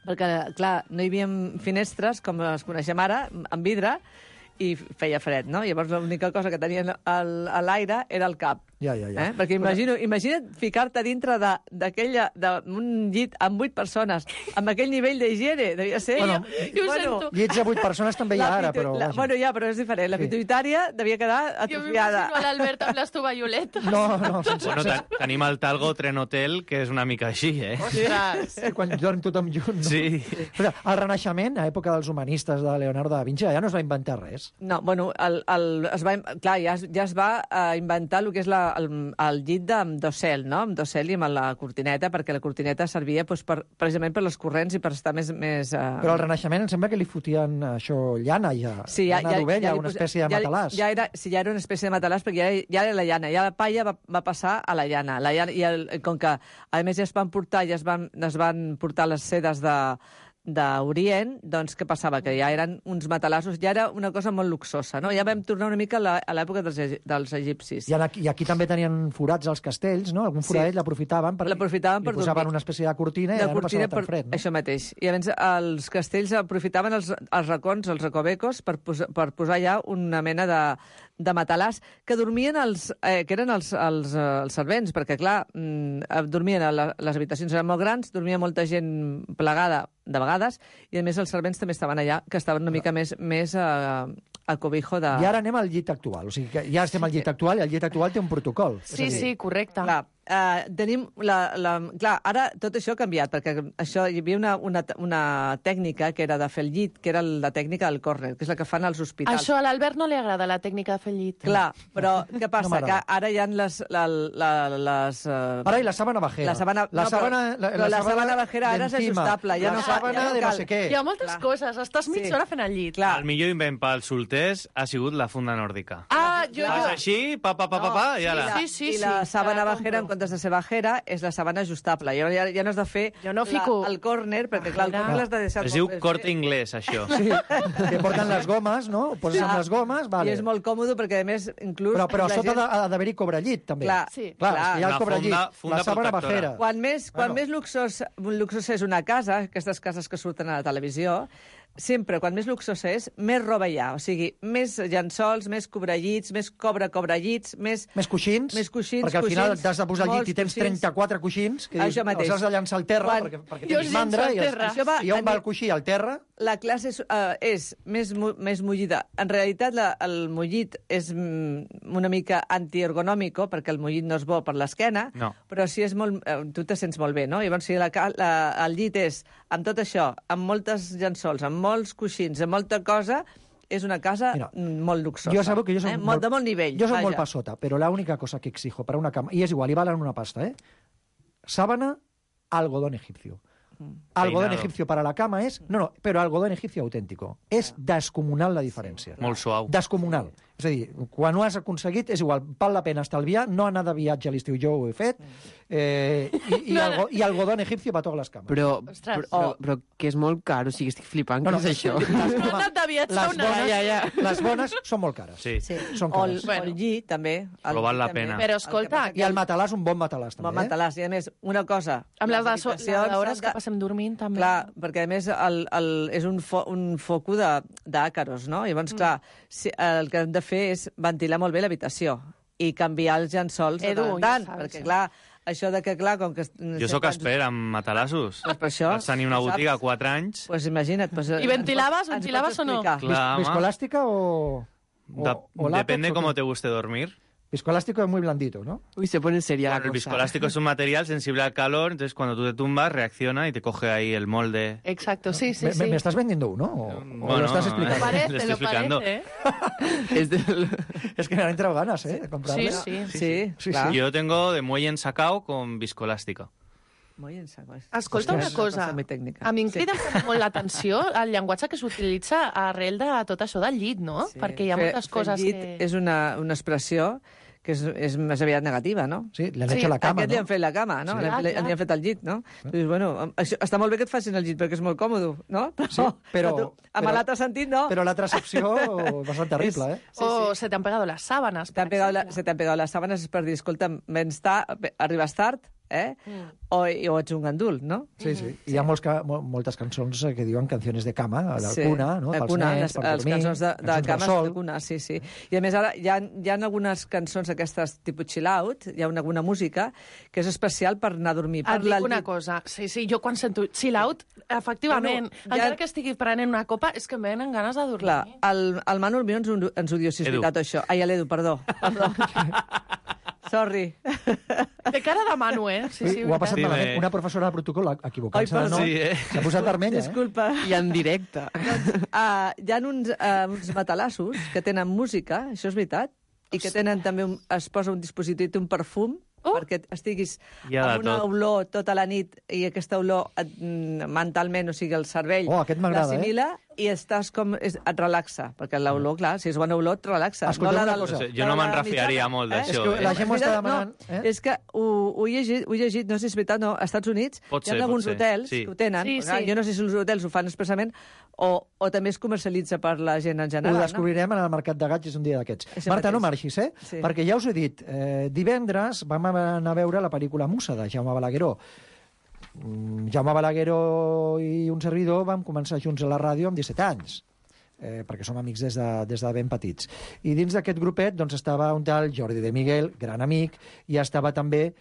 perquè, clar, no hi havia finestres, com les coneixem ara, amb vidre, i feia fred, no? Llavors l'única cosa que tenien a l'aire era el cap. Ja. Perquè imagina't ficar-te dintre d'un llit amb 8 persones, amb aquell nivell d'higiene, devia ser... Llits de 8 persones també hi ha ara, però... però és diferent. La pituïtària devia quedar atrofiada. Jo m'imagino l'Albert amb les tovalloletes. No. Tenim el Talgo Trenhotel, que és una mica així, Ostres! Quan dorm tothom junt, no? Sí. El Renaixement, a època dels humanistes de Leonardo da Vinci, ja no es va inventar res. No, bueno, ja es va inventar el que és el llit amb dosel, no? Amb dosel i amb la cortineta, perquè la cortineta servia precisament per les corrents i per estar més... Però al Renaixement em sembla que li fotien llana, llana d'ovella, una espècie de matalàs. Ja era una espècie de matalàs, perquè ja era la llana. Ja la palla va passar a la llana. Com que, a més, ja es van portar les sedes d'Orient, doncs què passava? Que ja eren uns matalassos, ja era una cosa molt luxosa, no? Ja vam tornar una mica a l'època dels egipcis. I aquí també tenien forats als castells, no? Algun foradet l'aprofitaven per posaven una espècie de cortina i ja no passava tan fred. Això mateix. I llavors els castells aprofitaven els racons, els recovecos, per posar ja una mena de matalàs que dormien que eren els servents, perquè, clar, dormien les habitacions eren molt grans, dormia molta gent plegada de vegades, i a més els servents també estaven allà, que estaven una mica més al cobijo de... I ara anem al llit actual, o sigui que ja estem al llit actual i el llit actual té un protocol. Sí, correcte. Clar, tenim clar, ara tot això ha canviat, perquè hi havia una tècnica que era de fer el llit, que era la tècnica del córner, que és la que fan als hospitals. Això a l'Albert no li agrada, la tècnica de fer el llit. Clar, però què passa? Que ara hi ha les... Ara hi la sábana bajera. La sábana bajera ara és ajustable. La sábana de no sé què. Hi ha moltes coses. Estàs mitja hora fent el llit. El millor invent pels solters ha sigut la funda nòrdica. Fas així, i ara... Sí. I la sábana bajera, en comptes de ser bajera, és la sábana ajustable. Ja no has de fer el córner, perquè clar, el córner l'has de deixar... Es diu Corte Inglés, això. Sí, que porten les gomes, no? Ho poses amb les gomes, vale. I és molt còmode, perquè a més, inclús... Però a sota ha d'haver-hi cobrellit, també. Clar, hi ha el cobrellit, la sábana bajera. Quan més luxós és una casa, aquestes cases que surten a la televisió, sempre, quan més luxosa és, més roba hi ha. O sigui, més llençols, més cobrellits, més cobrellits, més... Més coixins, perquè al final t'has de posar al llit i tens 34 coixins, que dius, els has de llançar al terra, perquè tens mandra, i on va el coixí? Al terra? La classe és més mullida. En realitat, el mullit és una mica antiergonòmico, perquè el mullit no és bo per l'esquena, però sí és molt... Tu te sents molt bé, no? Llavors, si el llit és amb tot això, amb moltes llençols, amb molts coixins, amb molta cosa, és una casa molt luxosa. Yo sabgo que yo soy de molt nivell. Yo soy molt pasota, pero la única cosa que exijo para una cama, y es igual, y valen una pasta, sábana, algodón egipcio. Algodón egipcio para la cama és... No, però algodón egipcio autèntico. És descomunal la diferència. Molt suau. Descomunal. És a dir, quan ho has aconseguit, és igual, val la pena estalviar, no anar de viatge a l'estiu, jo ho he fet, i algodón egipcio per totes les cames. Però que és molt car, o sigui, estic flipant, què és això? Les bones són molt cares. Sí. Són cares. O el llit, també. Però val la pena. Però escolta... I el matalàs, un bon matalàs, també. Bon matalàs, i a més, una cosa... Amb les hores que passem dormint, també. Clar, perquè a més és un foco d'àcaros, no? Llavors, clar, el que hem de fer és ventilar molt bé l'habitació i canviar els llençols de tant, perquè, clar, això de que, clar, com que... Jo sóc expert amb matalassos. Pues per això... Vaig tenir una botiga 4 anys. Pues imagina't. I ventilaves o no? ¿Viscolástica o Depende cómo te guste dormir. Viscoelástico es muy blandito, ¿no? Uy, se pone seria la cosa. El viscoelástico es un material sensible al calor, entonces cuando tú te tumbas reacciona y te coge ahí el molde. Exacto, sí. ¿Me estás vendiendo uno o lo estás explicando? Lo estoy explicando. Es que me han entrado ganas, de comprarle. Sí, claro. Yo tengo de muelle ensacado con viscoelástica. Escolta una cosa, a mi em crida molt l'atenció el llenguatge que s'utilitza arrel de tot això del llit, no? Perquè hi ha moltes coses que... Fer llit és una expressió que és més aviat negativa, no? Sí, li han hecho la cama, aquest li han fet la cama, no? Li han fet el llit, no? Dius, bueno, està molt bé que et facin el llit perquè és molt còmode, no? Però amb l'altre sentit, no? Però l'altra accepció bastant terrible, eh? O se te han pegado las sábanas. Se te han pegado las sábanas és per dir, escolta, arribes tard, o ets un gandul, no? Sí. Hi ha moltes cançons que diuen canciones de cama, de cuna, no? Pels nens, per dormir, cançons de cama de cuna, sí. I a més ara hi ha algunes cançons aquestes tipus chill out, hi ha alguna música que és especial per anar a dormir. Et dic una cosa, sí, jo quan sento chill out, efectivament, encara que estigui prenent una copa, és que em venen ganes de dormir. Clar, el Manu Almió ens ho diu, si és veritat això. Ai, l'Edu, perdó. Sorry. De cara de Manu, Sí, ho ha passat malament. Una professora de protocol equivocant-se de nom. S'ha posat vermella, Disculpa. I en directe. Hi ha uns matalassos que tenen música, això és veritat, i que tenen també, es posa un dispositiu, un perfum, perquè estiguis amb una olor tota la nit i aquesta olor mentalment, o sigui, el cervell l'assimila i estàs com... et relaxa, perquè l'olor, clar, si és bona olor, et relaxa. Escolta una cosa. Jo no me'n refiaria molt d'això. És que la gent ho està demanant. És que ho he llegit, no sé si és veritat, no, als Estats Units hi ha alguns hotels que ho tenen. Jo no sé si els hotels ho fan expressament o també es comercialitza per la gent en general. Ho descobrirem en el Mercat de Gats, és un dia d'aquests. Marta, no marxis, perquè ja us he dit, divendres vam anar a veure la pel·lícula Musa, de Jaume Balagueró. Jaume Balagueró i un servidor vam començar junts a la ràdio amb 17 anys, perquè som amics des de ben petits. I dins d'aquest grupet doncs, estava un tal Jordi de Miguel, gran amic, i estava també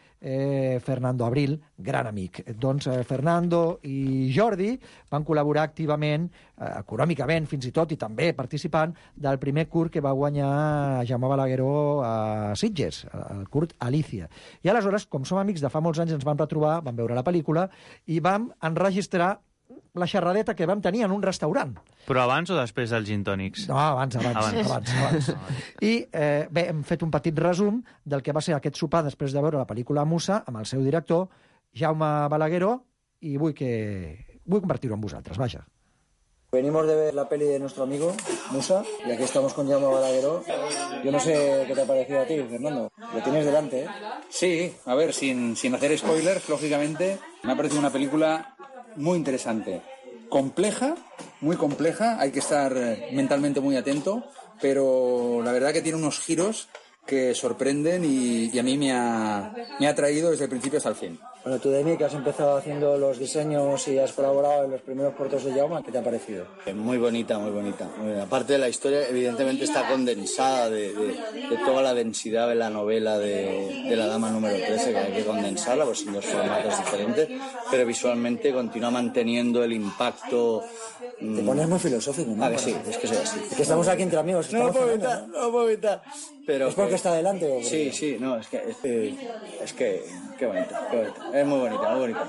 Fernando Abril, gran amic. Doncs Fernando i Jordi van col·laborar activament, econòmicament fins i tot, i també participant del primer curt que va guanyar Jaume Balagueró a Sitges, el curt Alicia. I aleshores, com som amics de fa molts anys, ens vam retrobar, vam veure la pel·lícula i vam enregistrar la xerradeta que vam tenir en un restaurant. Però abans o després dels gin tònics? No, abans. I bé, hem fet un petit resum del que va ser aquest sopar després de veure la pel·lícula Musa amb el seu director, Jaume Balagueró, i vull compartir-ho amb vosaltres, vaja. Venimos de ver la peli de nuestro amigo, Musa, y aquí estamos con Jaume Balagueró. Yo no sé qué te ha parecido a ti, Fernando. Lo tienes delante, ¿eh? Sí, a ver, sin hacer spoilers, lógicamente, me ha parecido una película muy interesante. Compleja, muy compleja, hay que estar mentalmente muy atento, pero la verdad que tiene unos giros que sorprenden y a mí me ha atraído desde el principio hasta el fin. Bueno, tú, Demi, que has empezado haciendo los diseños y has colaborado en los primeros cortos de Jaume, ¿qué te ha parecido? Muy bonita, muy bonita. Aparte de la historia, evidentemente está condensada de toda la densidad de la novela de la dama número 13, que hay que condensarla, pues en dos formatos diferentes, pero visualmente continúa manteniendo el impacto. Te pones muy filosófico, ¿no? Ah, que sí, es que soy así. Es que estamos aquí entre amigos. No puedo evitar. Pero ¿es porque está delante o porque... Sí, no, es que qué bonito. Es muy bonita.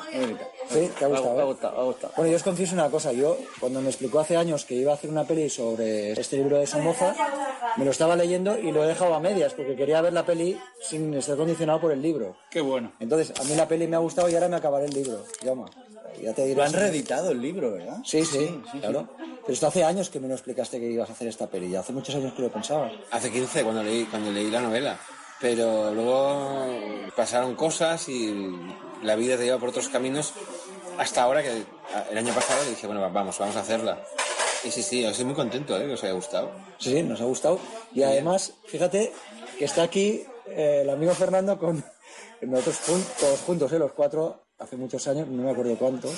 Sí, ¿te ha gustado? Me ha gustado. Bueno, yo os confieso una cosa. Yo, cuando me explicó hace años que iba a hacer una peli sobre este libro de Somoza, me lo estaba leyendo y lo he dejado a medias, porque quería ver la peli sin estar condicionado por el libro. Qué bueno. Entonces, a mí la peli me ha gustado y ahora me acabaré el libro. Jaume. Ya te diré. Lo han reeditado el libro, ¿verdad? Sí, claro. Pero esto hace años que me lo explicaste que ibas a hacer esta peli. Ya hace muchos años que lo pensaba. Hace 15, cuando leí la novela. Pero luego pasaron cosas y la vida te lleva por otros caminos hasta ahora que el año pasado le dije, bueno, vamos a hacerla. Y sí, yo estoy muy contento, que os haya gustado. Sí, nos ha gustado. Y además, fíjate que está aquí el amigo Fernando con nosotros todos juntos, los cuatro, hace muchos años, no me acuerdo cuántos.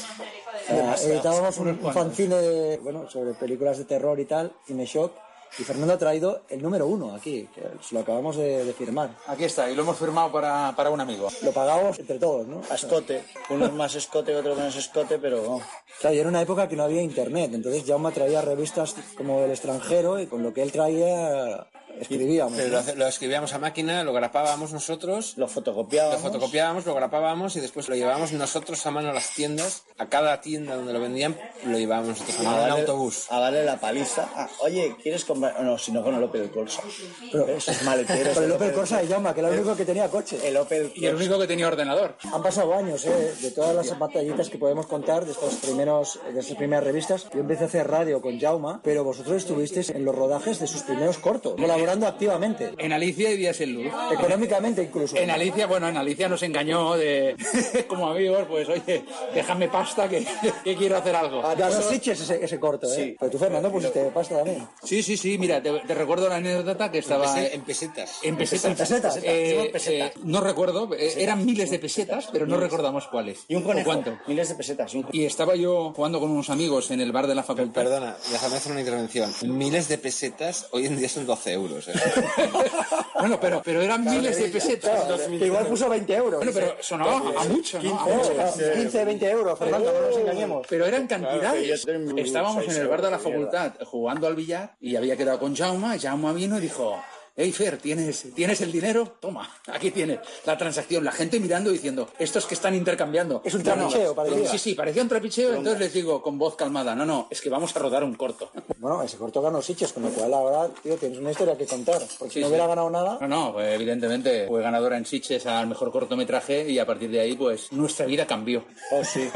Editábamos un fanzine sobre películas de terror y tal, Cine Shock. Y Fernando ha traído el número 1 aquí, que lo acabamos de firmar. Aquí está, y lo hemos firmado para un amigo. Lo pagamos entre todos, ¿no? A escote. Uno es más escote, otro menos escote, pero... Claro, y era una época que no había internet, entonces Jaume traía revistas como del extranjero y con lo que él traía escribíamos. Pero lo escribíamos a máquina, lo grapábamos nosotros. Lo fotocopiábamos. Lo grapábamos y después lo llevábamos nosotros a mano a las tiendas. A cada tienda donde lo vendían, lo llevábamos nosotros a mano en autobús. A darle la paliza. Oye, ¿quieres comprar? No, si no con el Opel Corsa. Pero eso es maletero. Con el Opel Corsa de Jaume, que era el único que tenía coche. El Opel Corsa. Y el único que tenía ordenador. Han pasado años, de todas las batallitas que podemos contar de estas primeras revistas. Yo empecé a hacer radio con Jaume, pero vosotros estuvisteis en los rodajes de sus primeros cortos, colaborando activamente. En Alicia y Días en Luz. Económicamente incluso. En Alicia nos engañó como amigos, pues oye, déjame pasta que quiero hacer algo. Ganó Sitges ese corto, Sí. Pero tú, Fernando, pusiste pasta también. Sí, mira, te recuerdo la anécdota que estaba... En pesetas. En pesetas. No recuerdo, eran miles de pesetas, pero no recordamos cuáles. ¿Y un conejo? ¿Cuánto? Miles de pesetas. Y estaba yo jugando con unos amigos en el bar de la facultad. Perdona, déjame hacer una intervención. Miles de pesetas hoy en día son 12 euros. Bueno, pero eran miles de pesetas. Igual puso 20 euros. Bueno, pero sonaba a mucho, ¿no? 15, 20 euros, Fernando, no nos engañemos. Pero eran cantidades. Estábamos en el bar de la facultad jugando al billar y había quedado con Jaume. Jaume vino y dijo... Hey, Fer, ¿tienes el dinero? Toma, aquí tienes la transacción. La gente mirando diciendo, estos que están intercambiando. Es un trapicheo, parecía. Sí, parecía un trapicheo. Entonces les digo con voz calmada, no, es que vamos a rodar un corto. Bueno, ese corto ganó Sitges, con lo cual ahora, tío, tienes una historia que contar. Porque si no hubiera ganado nada... No, pues evidentemente fue ganadora en Sitges al mejor cortometraje y a partir de ahí, pues, nuestra vida cambió. Oh, sí.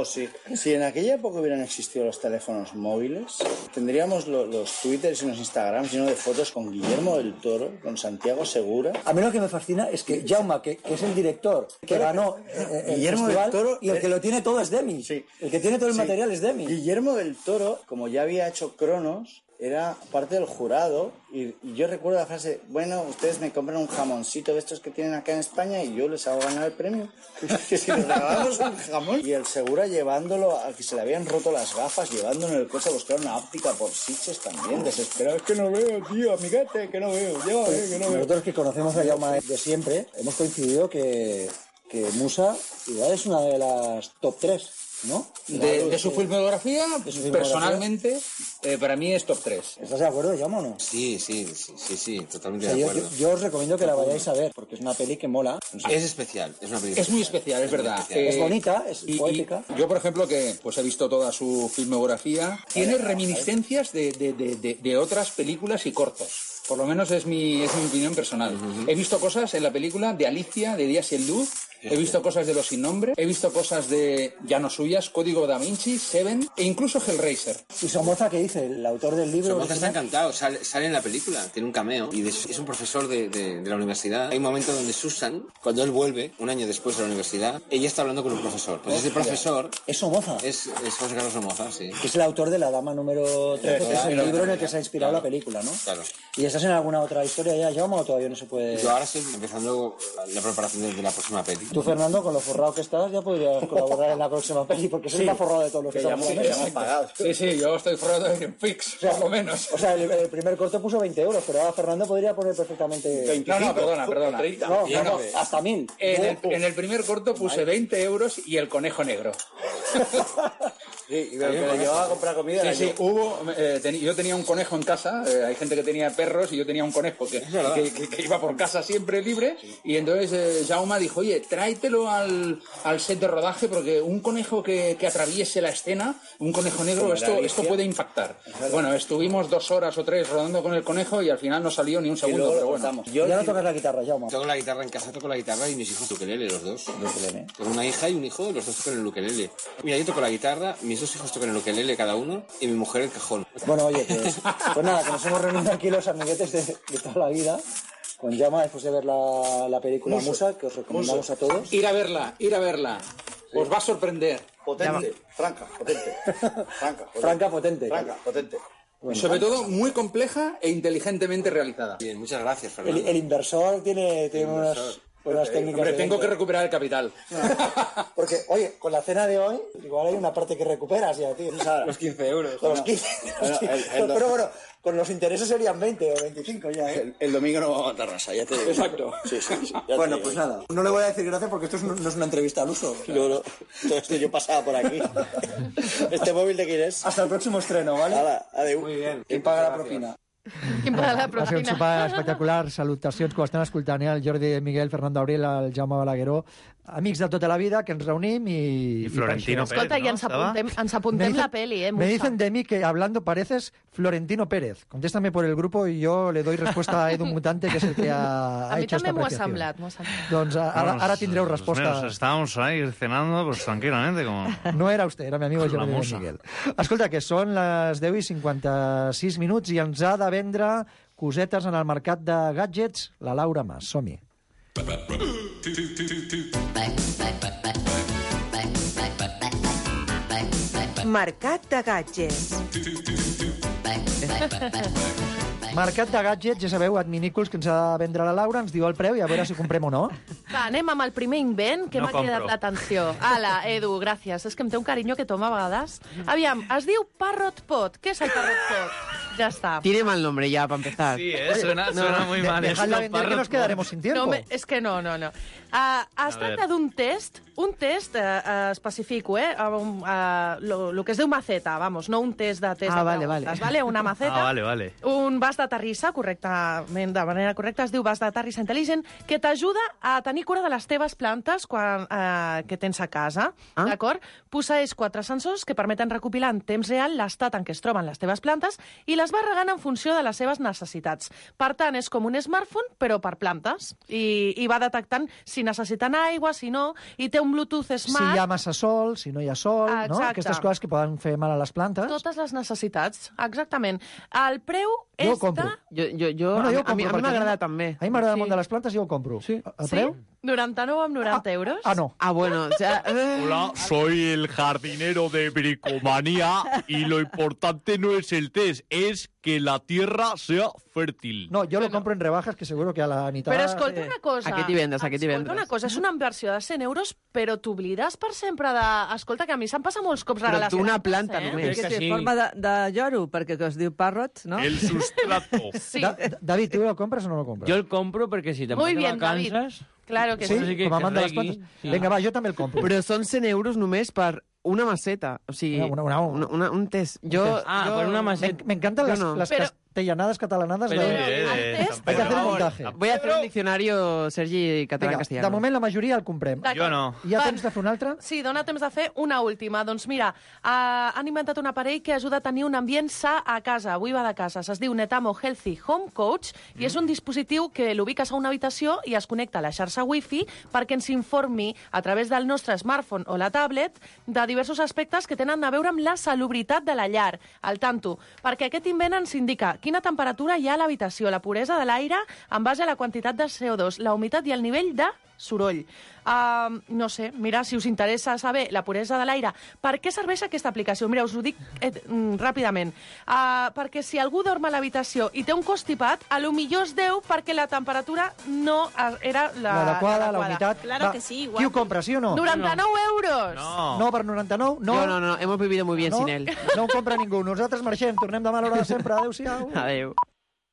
Sí. Si en aquella época hubieran existido los teléfonos móviles, tendríamos los Twitters y los Instagrams llenos de fotos con Guillermo del Toro, con Santiago Segura. A mí lo que me fascina es que Jaume, que es el director, que ganó Guillermo del Toro, y el que lo tiene todo es Demi. Sí. El que tiene todo el material es Demi. Guillermo del Toro, como ya había hecho Cronos, era parte del jurado y yo recuerdo la frase, bueno, ustedes me compran un jamoncito de estos que tienen acá en España y yo les hago ganar el premio. Que si les regalamos un jamón. Y el Segura llevándolo a que se le habían roto las gafas, llevándolo en el coche a buscar una óptica por Sitges también, desesperado. Es que no veo, tío, amiguete, que no veo. Llévame, que no veo. Nosotros que conocemos a Jaume de siempre, hemos coincidido que Musa igual es una de las top 3. ¿No? De su filmografía, personalmente, para mí es top 3. ¿Estás de acuerdo, Jaume, o no? Sí, totalmente de acuerdo. Yo os recomiendo que la vayáis a ver, porque es una peli que mola. Es especial, es una película. Es muy especial, es verdad. Es bonita, es poética. Yo, por ejemplo, que pues he visto toda su filmografía, tiene reminiscencias de otras películas y cortos. Por lo menos es mi opinión personal. He visto cosas en la película de Alicia, de Días en Luz. He visto cosas de Los Sin Nombre. He visto cosas de ya no suyas, Código Da Vinci, Seven e incluso Hellraiser. ¿Y Somoza qué dice? El autor del libro. Somoza está encantado. Sale en la película. Tiene un cameo. Y es un profesor de la universidad. Hay un momento donde Susan, cuando él vuelve, un año después de la universidad, ella está hablando con un profesor. Pues ese profesor... ¿Es Somoza? Es José Carlos Somoza, sí. Que es el autor de La Dama número 13, que es el libro en el que se ha inspirado la película, ¿no? Claro. ¿Y estás en alguna otra historia ya, Jaume, o todavía no se puede...? Yo ahora estoy empezando la preparación de la próxima peli. Tú, Fernando, con lo forrado que estás, ya podrías colaborar en la próxima peli, porque soy más forrado de todos los que estamos pagados. Sí, yo estoy forrado en fix, por lo menos. O sea, el primer corto puso 20 euros, pero ahora Fernando podría poner perfectamente... 25, no, perdona. 30. No, hasta 1000. En el primer corto puse 20 euros y el conejo negro. Sí, y que le llevaba a comprar comida. Sí, yo tenía un conejo en casa, hay gente que tenía perros y yo tenía un conejo que iba por casa siempre libre, y entonces Jaume dijo, oye, tráetelo al set de rodaje porque un conejo que atraviese la escena, un conejo negro, esto puede impactar. Bueno, estuvimos 2 horas o 3 rodando con el conejo y al final no salió ni un segundo, pero bueno. Ya no tocas la guitarra, Jaume. Toco la guitarra en casa, toco la guitarra y mis hijos ukelele, los dos. Tengo una hija y un hijo, los dos tocan el ukelele. Mira, yo toco la guitarra, mis 2 hijos tocan el ukelele cada uno y mi mujer el cajón. Bueno, oye, pues nada, que nos hemos reunido aquí los amiguetes de toda la vida con Jaume después de ver la película Musa, que os recomendamos a todos. Ir a verla. Sí. Os va a sorprender. Potente, franca, potente. Bueno, sobre todo muy compleja e inteligentemente realizada. Bien, muchas gracias, Fernando. El inversor tiene unas técnicas. Hombre, tengo que recuperar el capital. Porque, oye, con la cena de hoy, igual hay una parte que recuperas ya, tío. Los 15 euros. Los 15. Pero bueno, con los intereses serían 20 o 25 ya, ¿eh? El domingo no vamos a Tarrasa, ya te digo. Exacto. Sí. Bueno, pues nada. No le voy a decir gracias porque esto no es una entrevista al uso. No. Todo esto yo pasaba por aquí. ¿Este móvil de quién es? Hasta el próximo estreno, ¿vale? Hala, adiós. Muy bien. ¿Quién paga la propina? Quin pla de Va ser un proteïna. sopar espectacular. Salutacions que ho estan escoltant, el Jordi Miguel, Fernando Abril, el Jaume Balagueró, amics de tota la vida, que ens reunim i Florentino per això. Escolta, i ens apuntem la peli, Me Musa. dicen de mí que hablando pareces Florentino Pérez. Contéstame por el grupo y yo le doy respuesta a Edu Mutante, que es el que ha A mi hecho esta també m'ho ha apreciación. semblat, m'ho ha semblat. Doncs ara tindreu resposta. Estábamos ahí cenando pues tranquilamente como... No era usted, era mi amigo La Jordi musa. Miguel. Escolta, que són les 10:56 i ens ha de vendre cosetes en el mercat de gadgets la Laura Mas. Som-hi. Mercat de gadgets. Mercat de gadgets, ja sabeu, adminículs que ens ha de vendre la Laura, ens diu el preu i a veure si comprem o no. Va, anem amb el primer invent que No m'ha cridat compro. l'atenció. Ala, Edu, gràcies. És que em té un carinyo que toma a vegades. Aviam, es diu Parrot Pot. Què és el Parrot Pot? Ja està. Tiene mal nombre ya, para empezar. Sí, suena muy mal. Dejadla vender que nos quedaremos sin tiempo. No, és que no. Es tracta d'un test, especifico, lo que es diu maceta, vamos, no un test de test de vale, preguntes, vale? Una maceta, vale. un vas de terrissa, correctament, de manera correcta, es diu vas de terrissa intel·ligent, que t'ajuda a tenir cura de les teves plantes que tens a casa, d'acord? Posseeix 4 sensors que permeten recopilar en temps real l'estat en què es troben les teves plantes i les va regant en funció de les seves necessitats. Per tant, és com un smartphone, però per plantes. I va detectant si necessiten aigua, si no, i té un Bluetooth smart... Si hi ha massa sol, si no hi ha sol, no? Exacte. Aquestes coses que poden fer mal a les plantes. Totes les necessitats, exactament. El preu Jo ho és compro. A mi m'agrada també. A mi m'agrada el món de les plantes i jo ho compro. Sí. El preu? 99,90 euros. No. Bueno, ya... Hola, soy el jardinero de Bricomanía y lo importante no es el test, es que la tierra sea fèrtil. No, jo lo compro en rebajas, que seguro que a la mitad... Però escolta una cosa. Aquí t'hi vendes. Escolta una cosa, és una inversió de 100 euros, però t'oblides per sempre de... Escolta, que a mi se'm passa molts cops regalar... tu una plantes, planta només. Que té forma de lloro, perquè que es diu parrot, no? El sustrato. Sí. David, ¿tú lo compras o no lo compras? Yo el compro porque si te Muy vas de bien, David. vacances... Claro que Sí, sí. com a amant de les plantes. Sí. Vinga, va, jo també el compro. Però són 100 euros només per una maceta. O sigui, un test. per una maceta. Me encantan las Pero- castellanadas catalanadas. Pero de... el test... Hay que hacer un montaje. Voy a hacer un diccionario, Sergi, català-castellano. De moment la majoria el comprem. Jo no. Hi ha Va. temps de fer un altre? Sí, dona temps de fer una última. Doncs mira, han inventat un aparell que ajuda a tenir un ambient sa a casa. Avui va de casa. Es diu Netamo Healthy Home Coach i és un dispositiu que l'ubiques a una habitació i es connecta a la xarxa Wi-Fi perquè ens informi a través del nostre smartphone o la tablet de diversos aspectes que tenen a veure amb la salubritat de la llar. Al tanto, perquè aquest invent ens indica quina temperatura hi ha a l'habitació, la puresa de l'aire en base a la quantitat de CO2, la humitat i el nivell de soroll. No sé, mira, si us interessa saber la puresa de l'aire, per què serveix aquesta aplicació? Mira, us ho dic ràpidament. Perquè si algú dorm a l'habitació i té un constipat, a lo millor es deu perquè la temperatura no era L'adequada, la humitat. Claro Va, que sí, igual. Qui ho compra, sí o no? 99 euros! No, per 99? No. No, hemos vivido muy bien sin él. No ho compra ningú. Nosaltres marxem, tornem demà a l'hora de sempre. Adéu-siau. Adéu.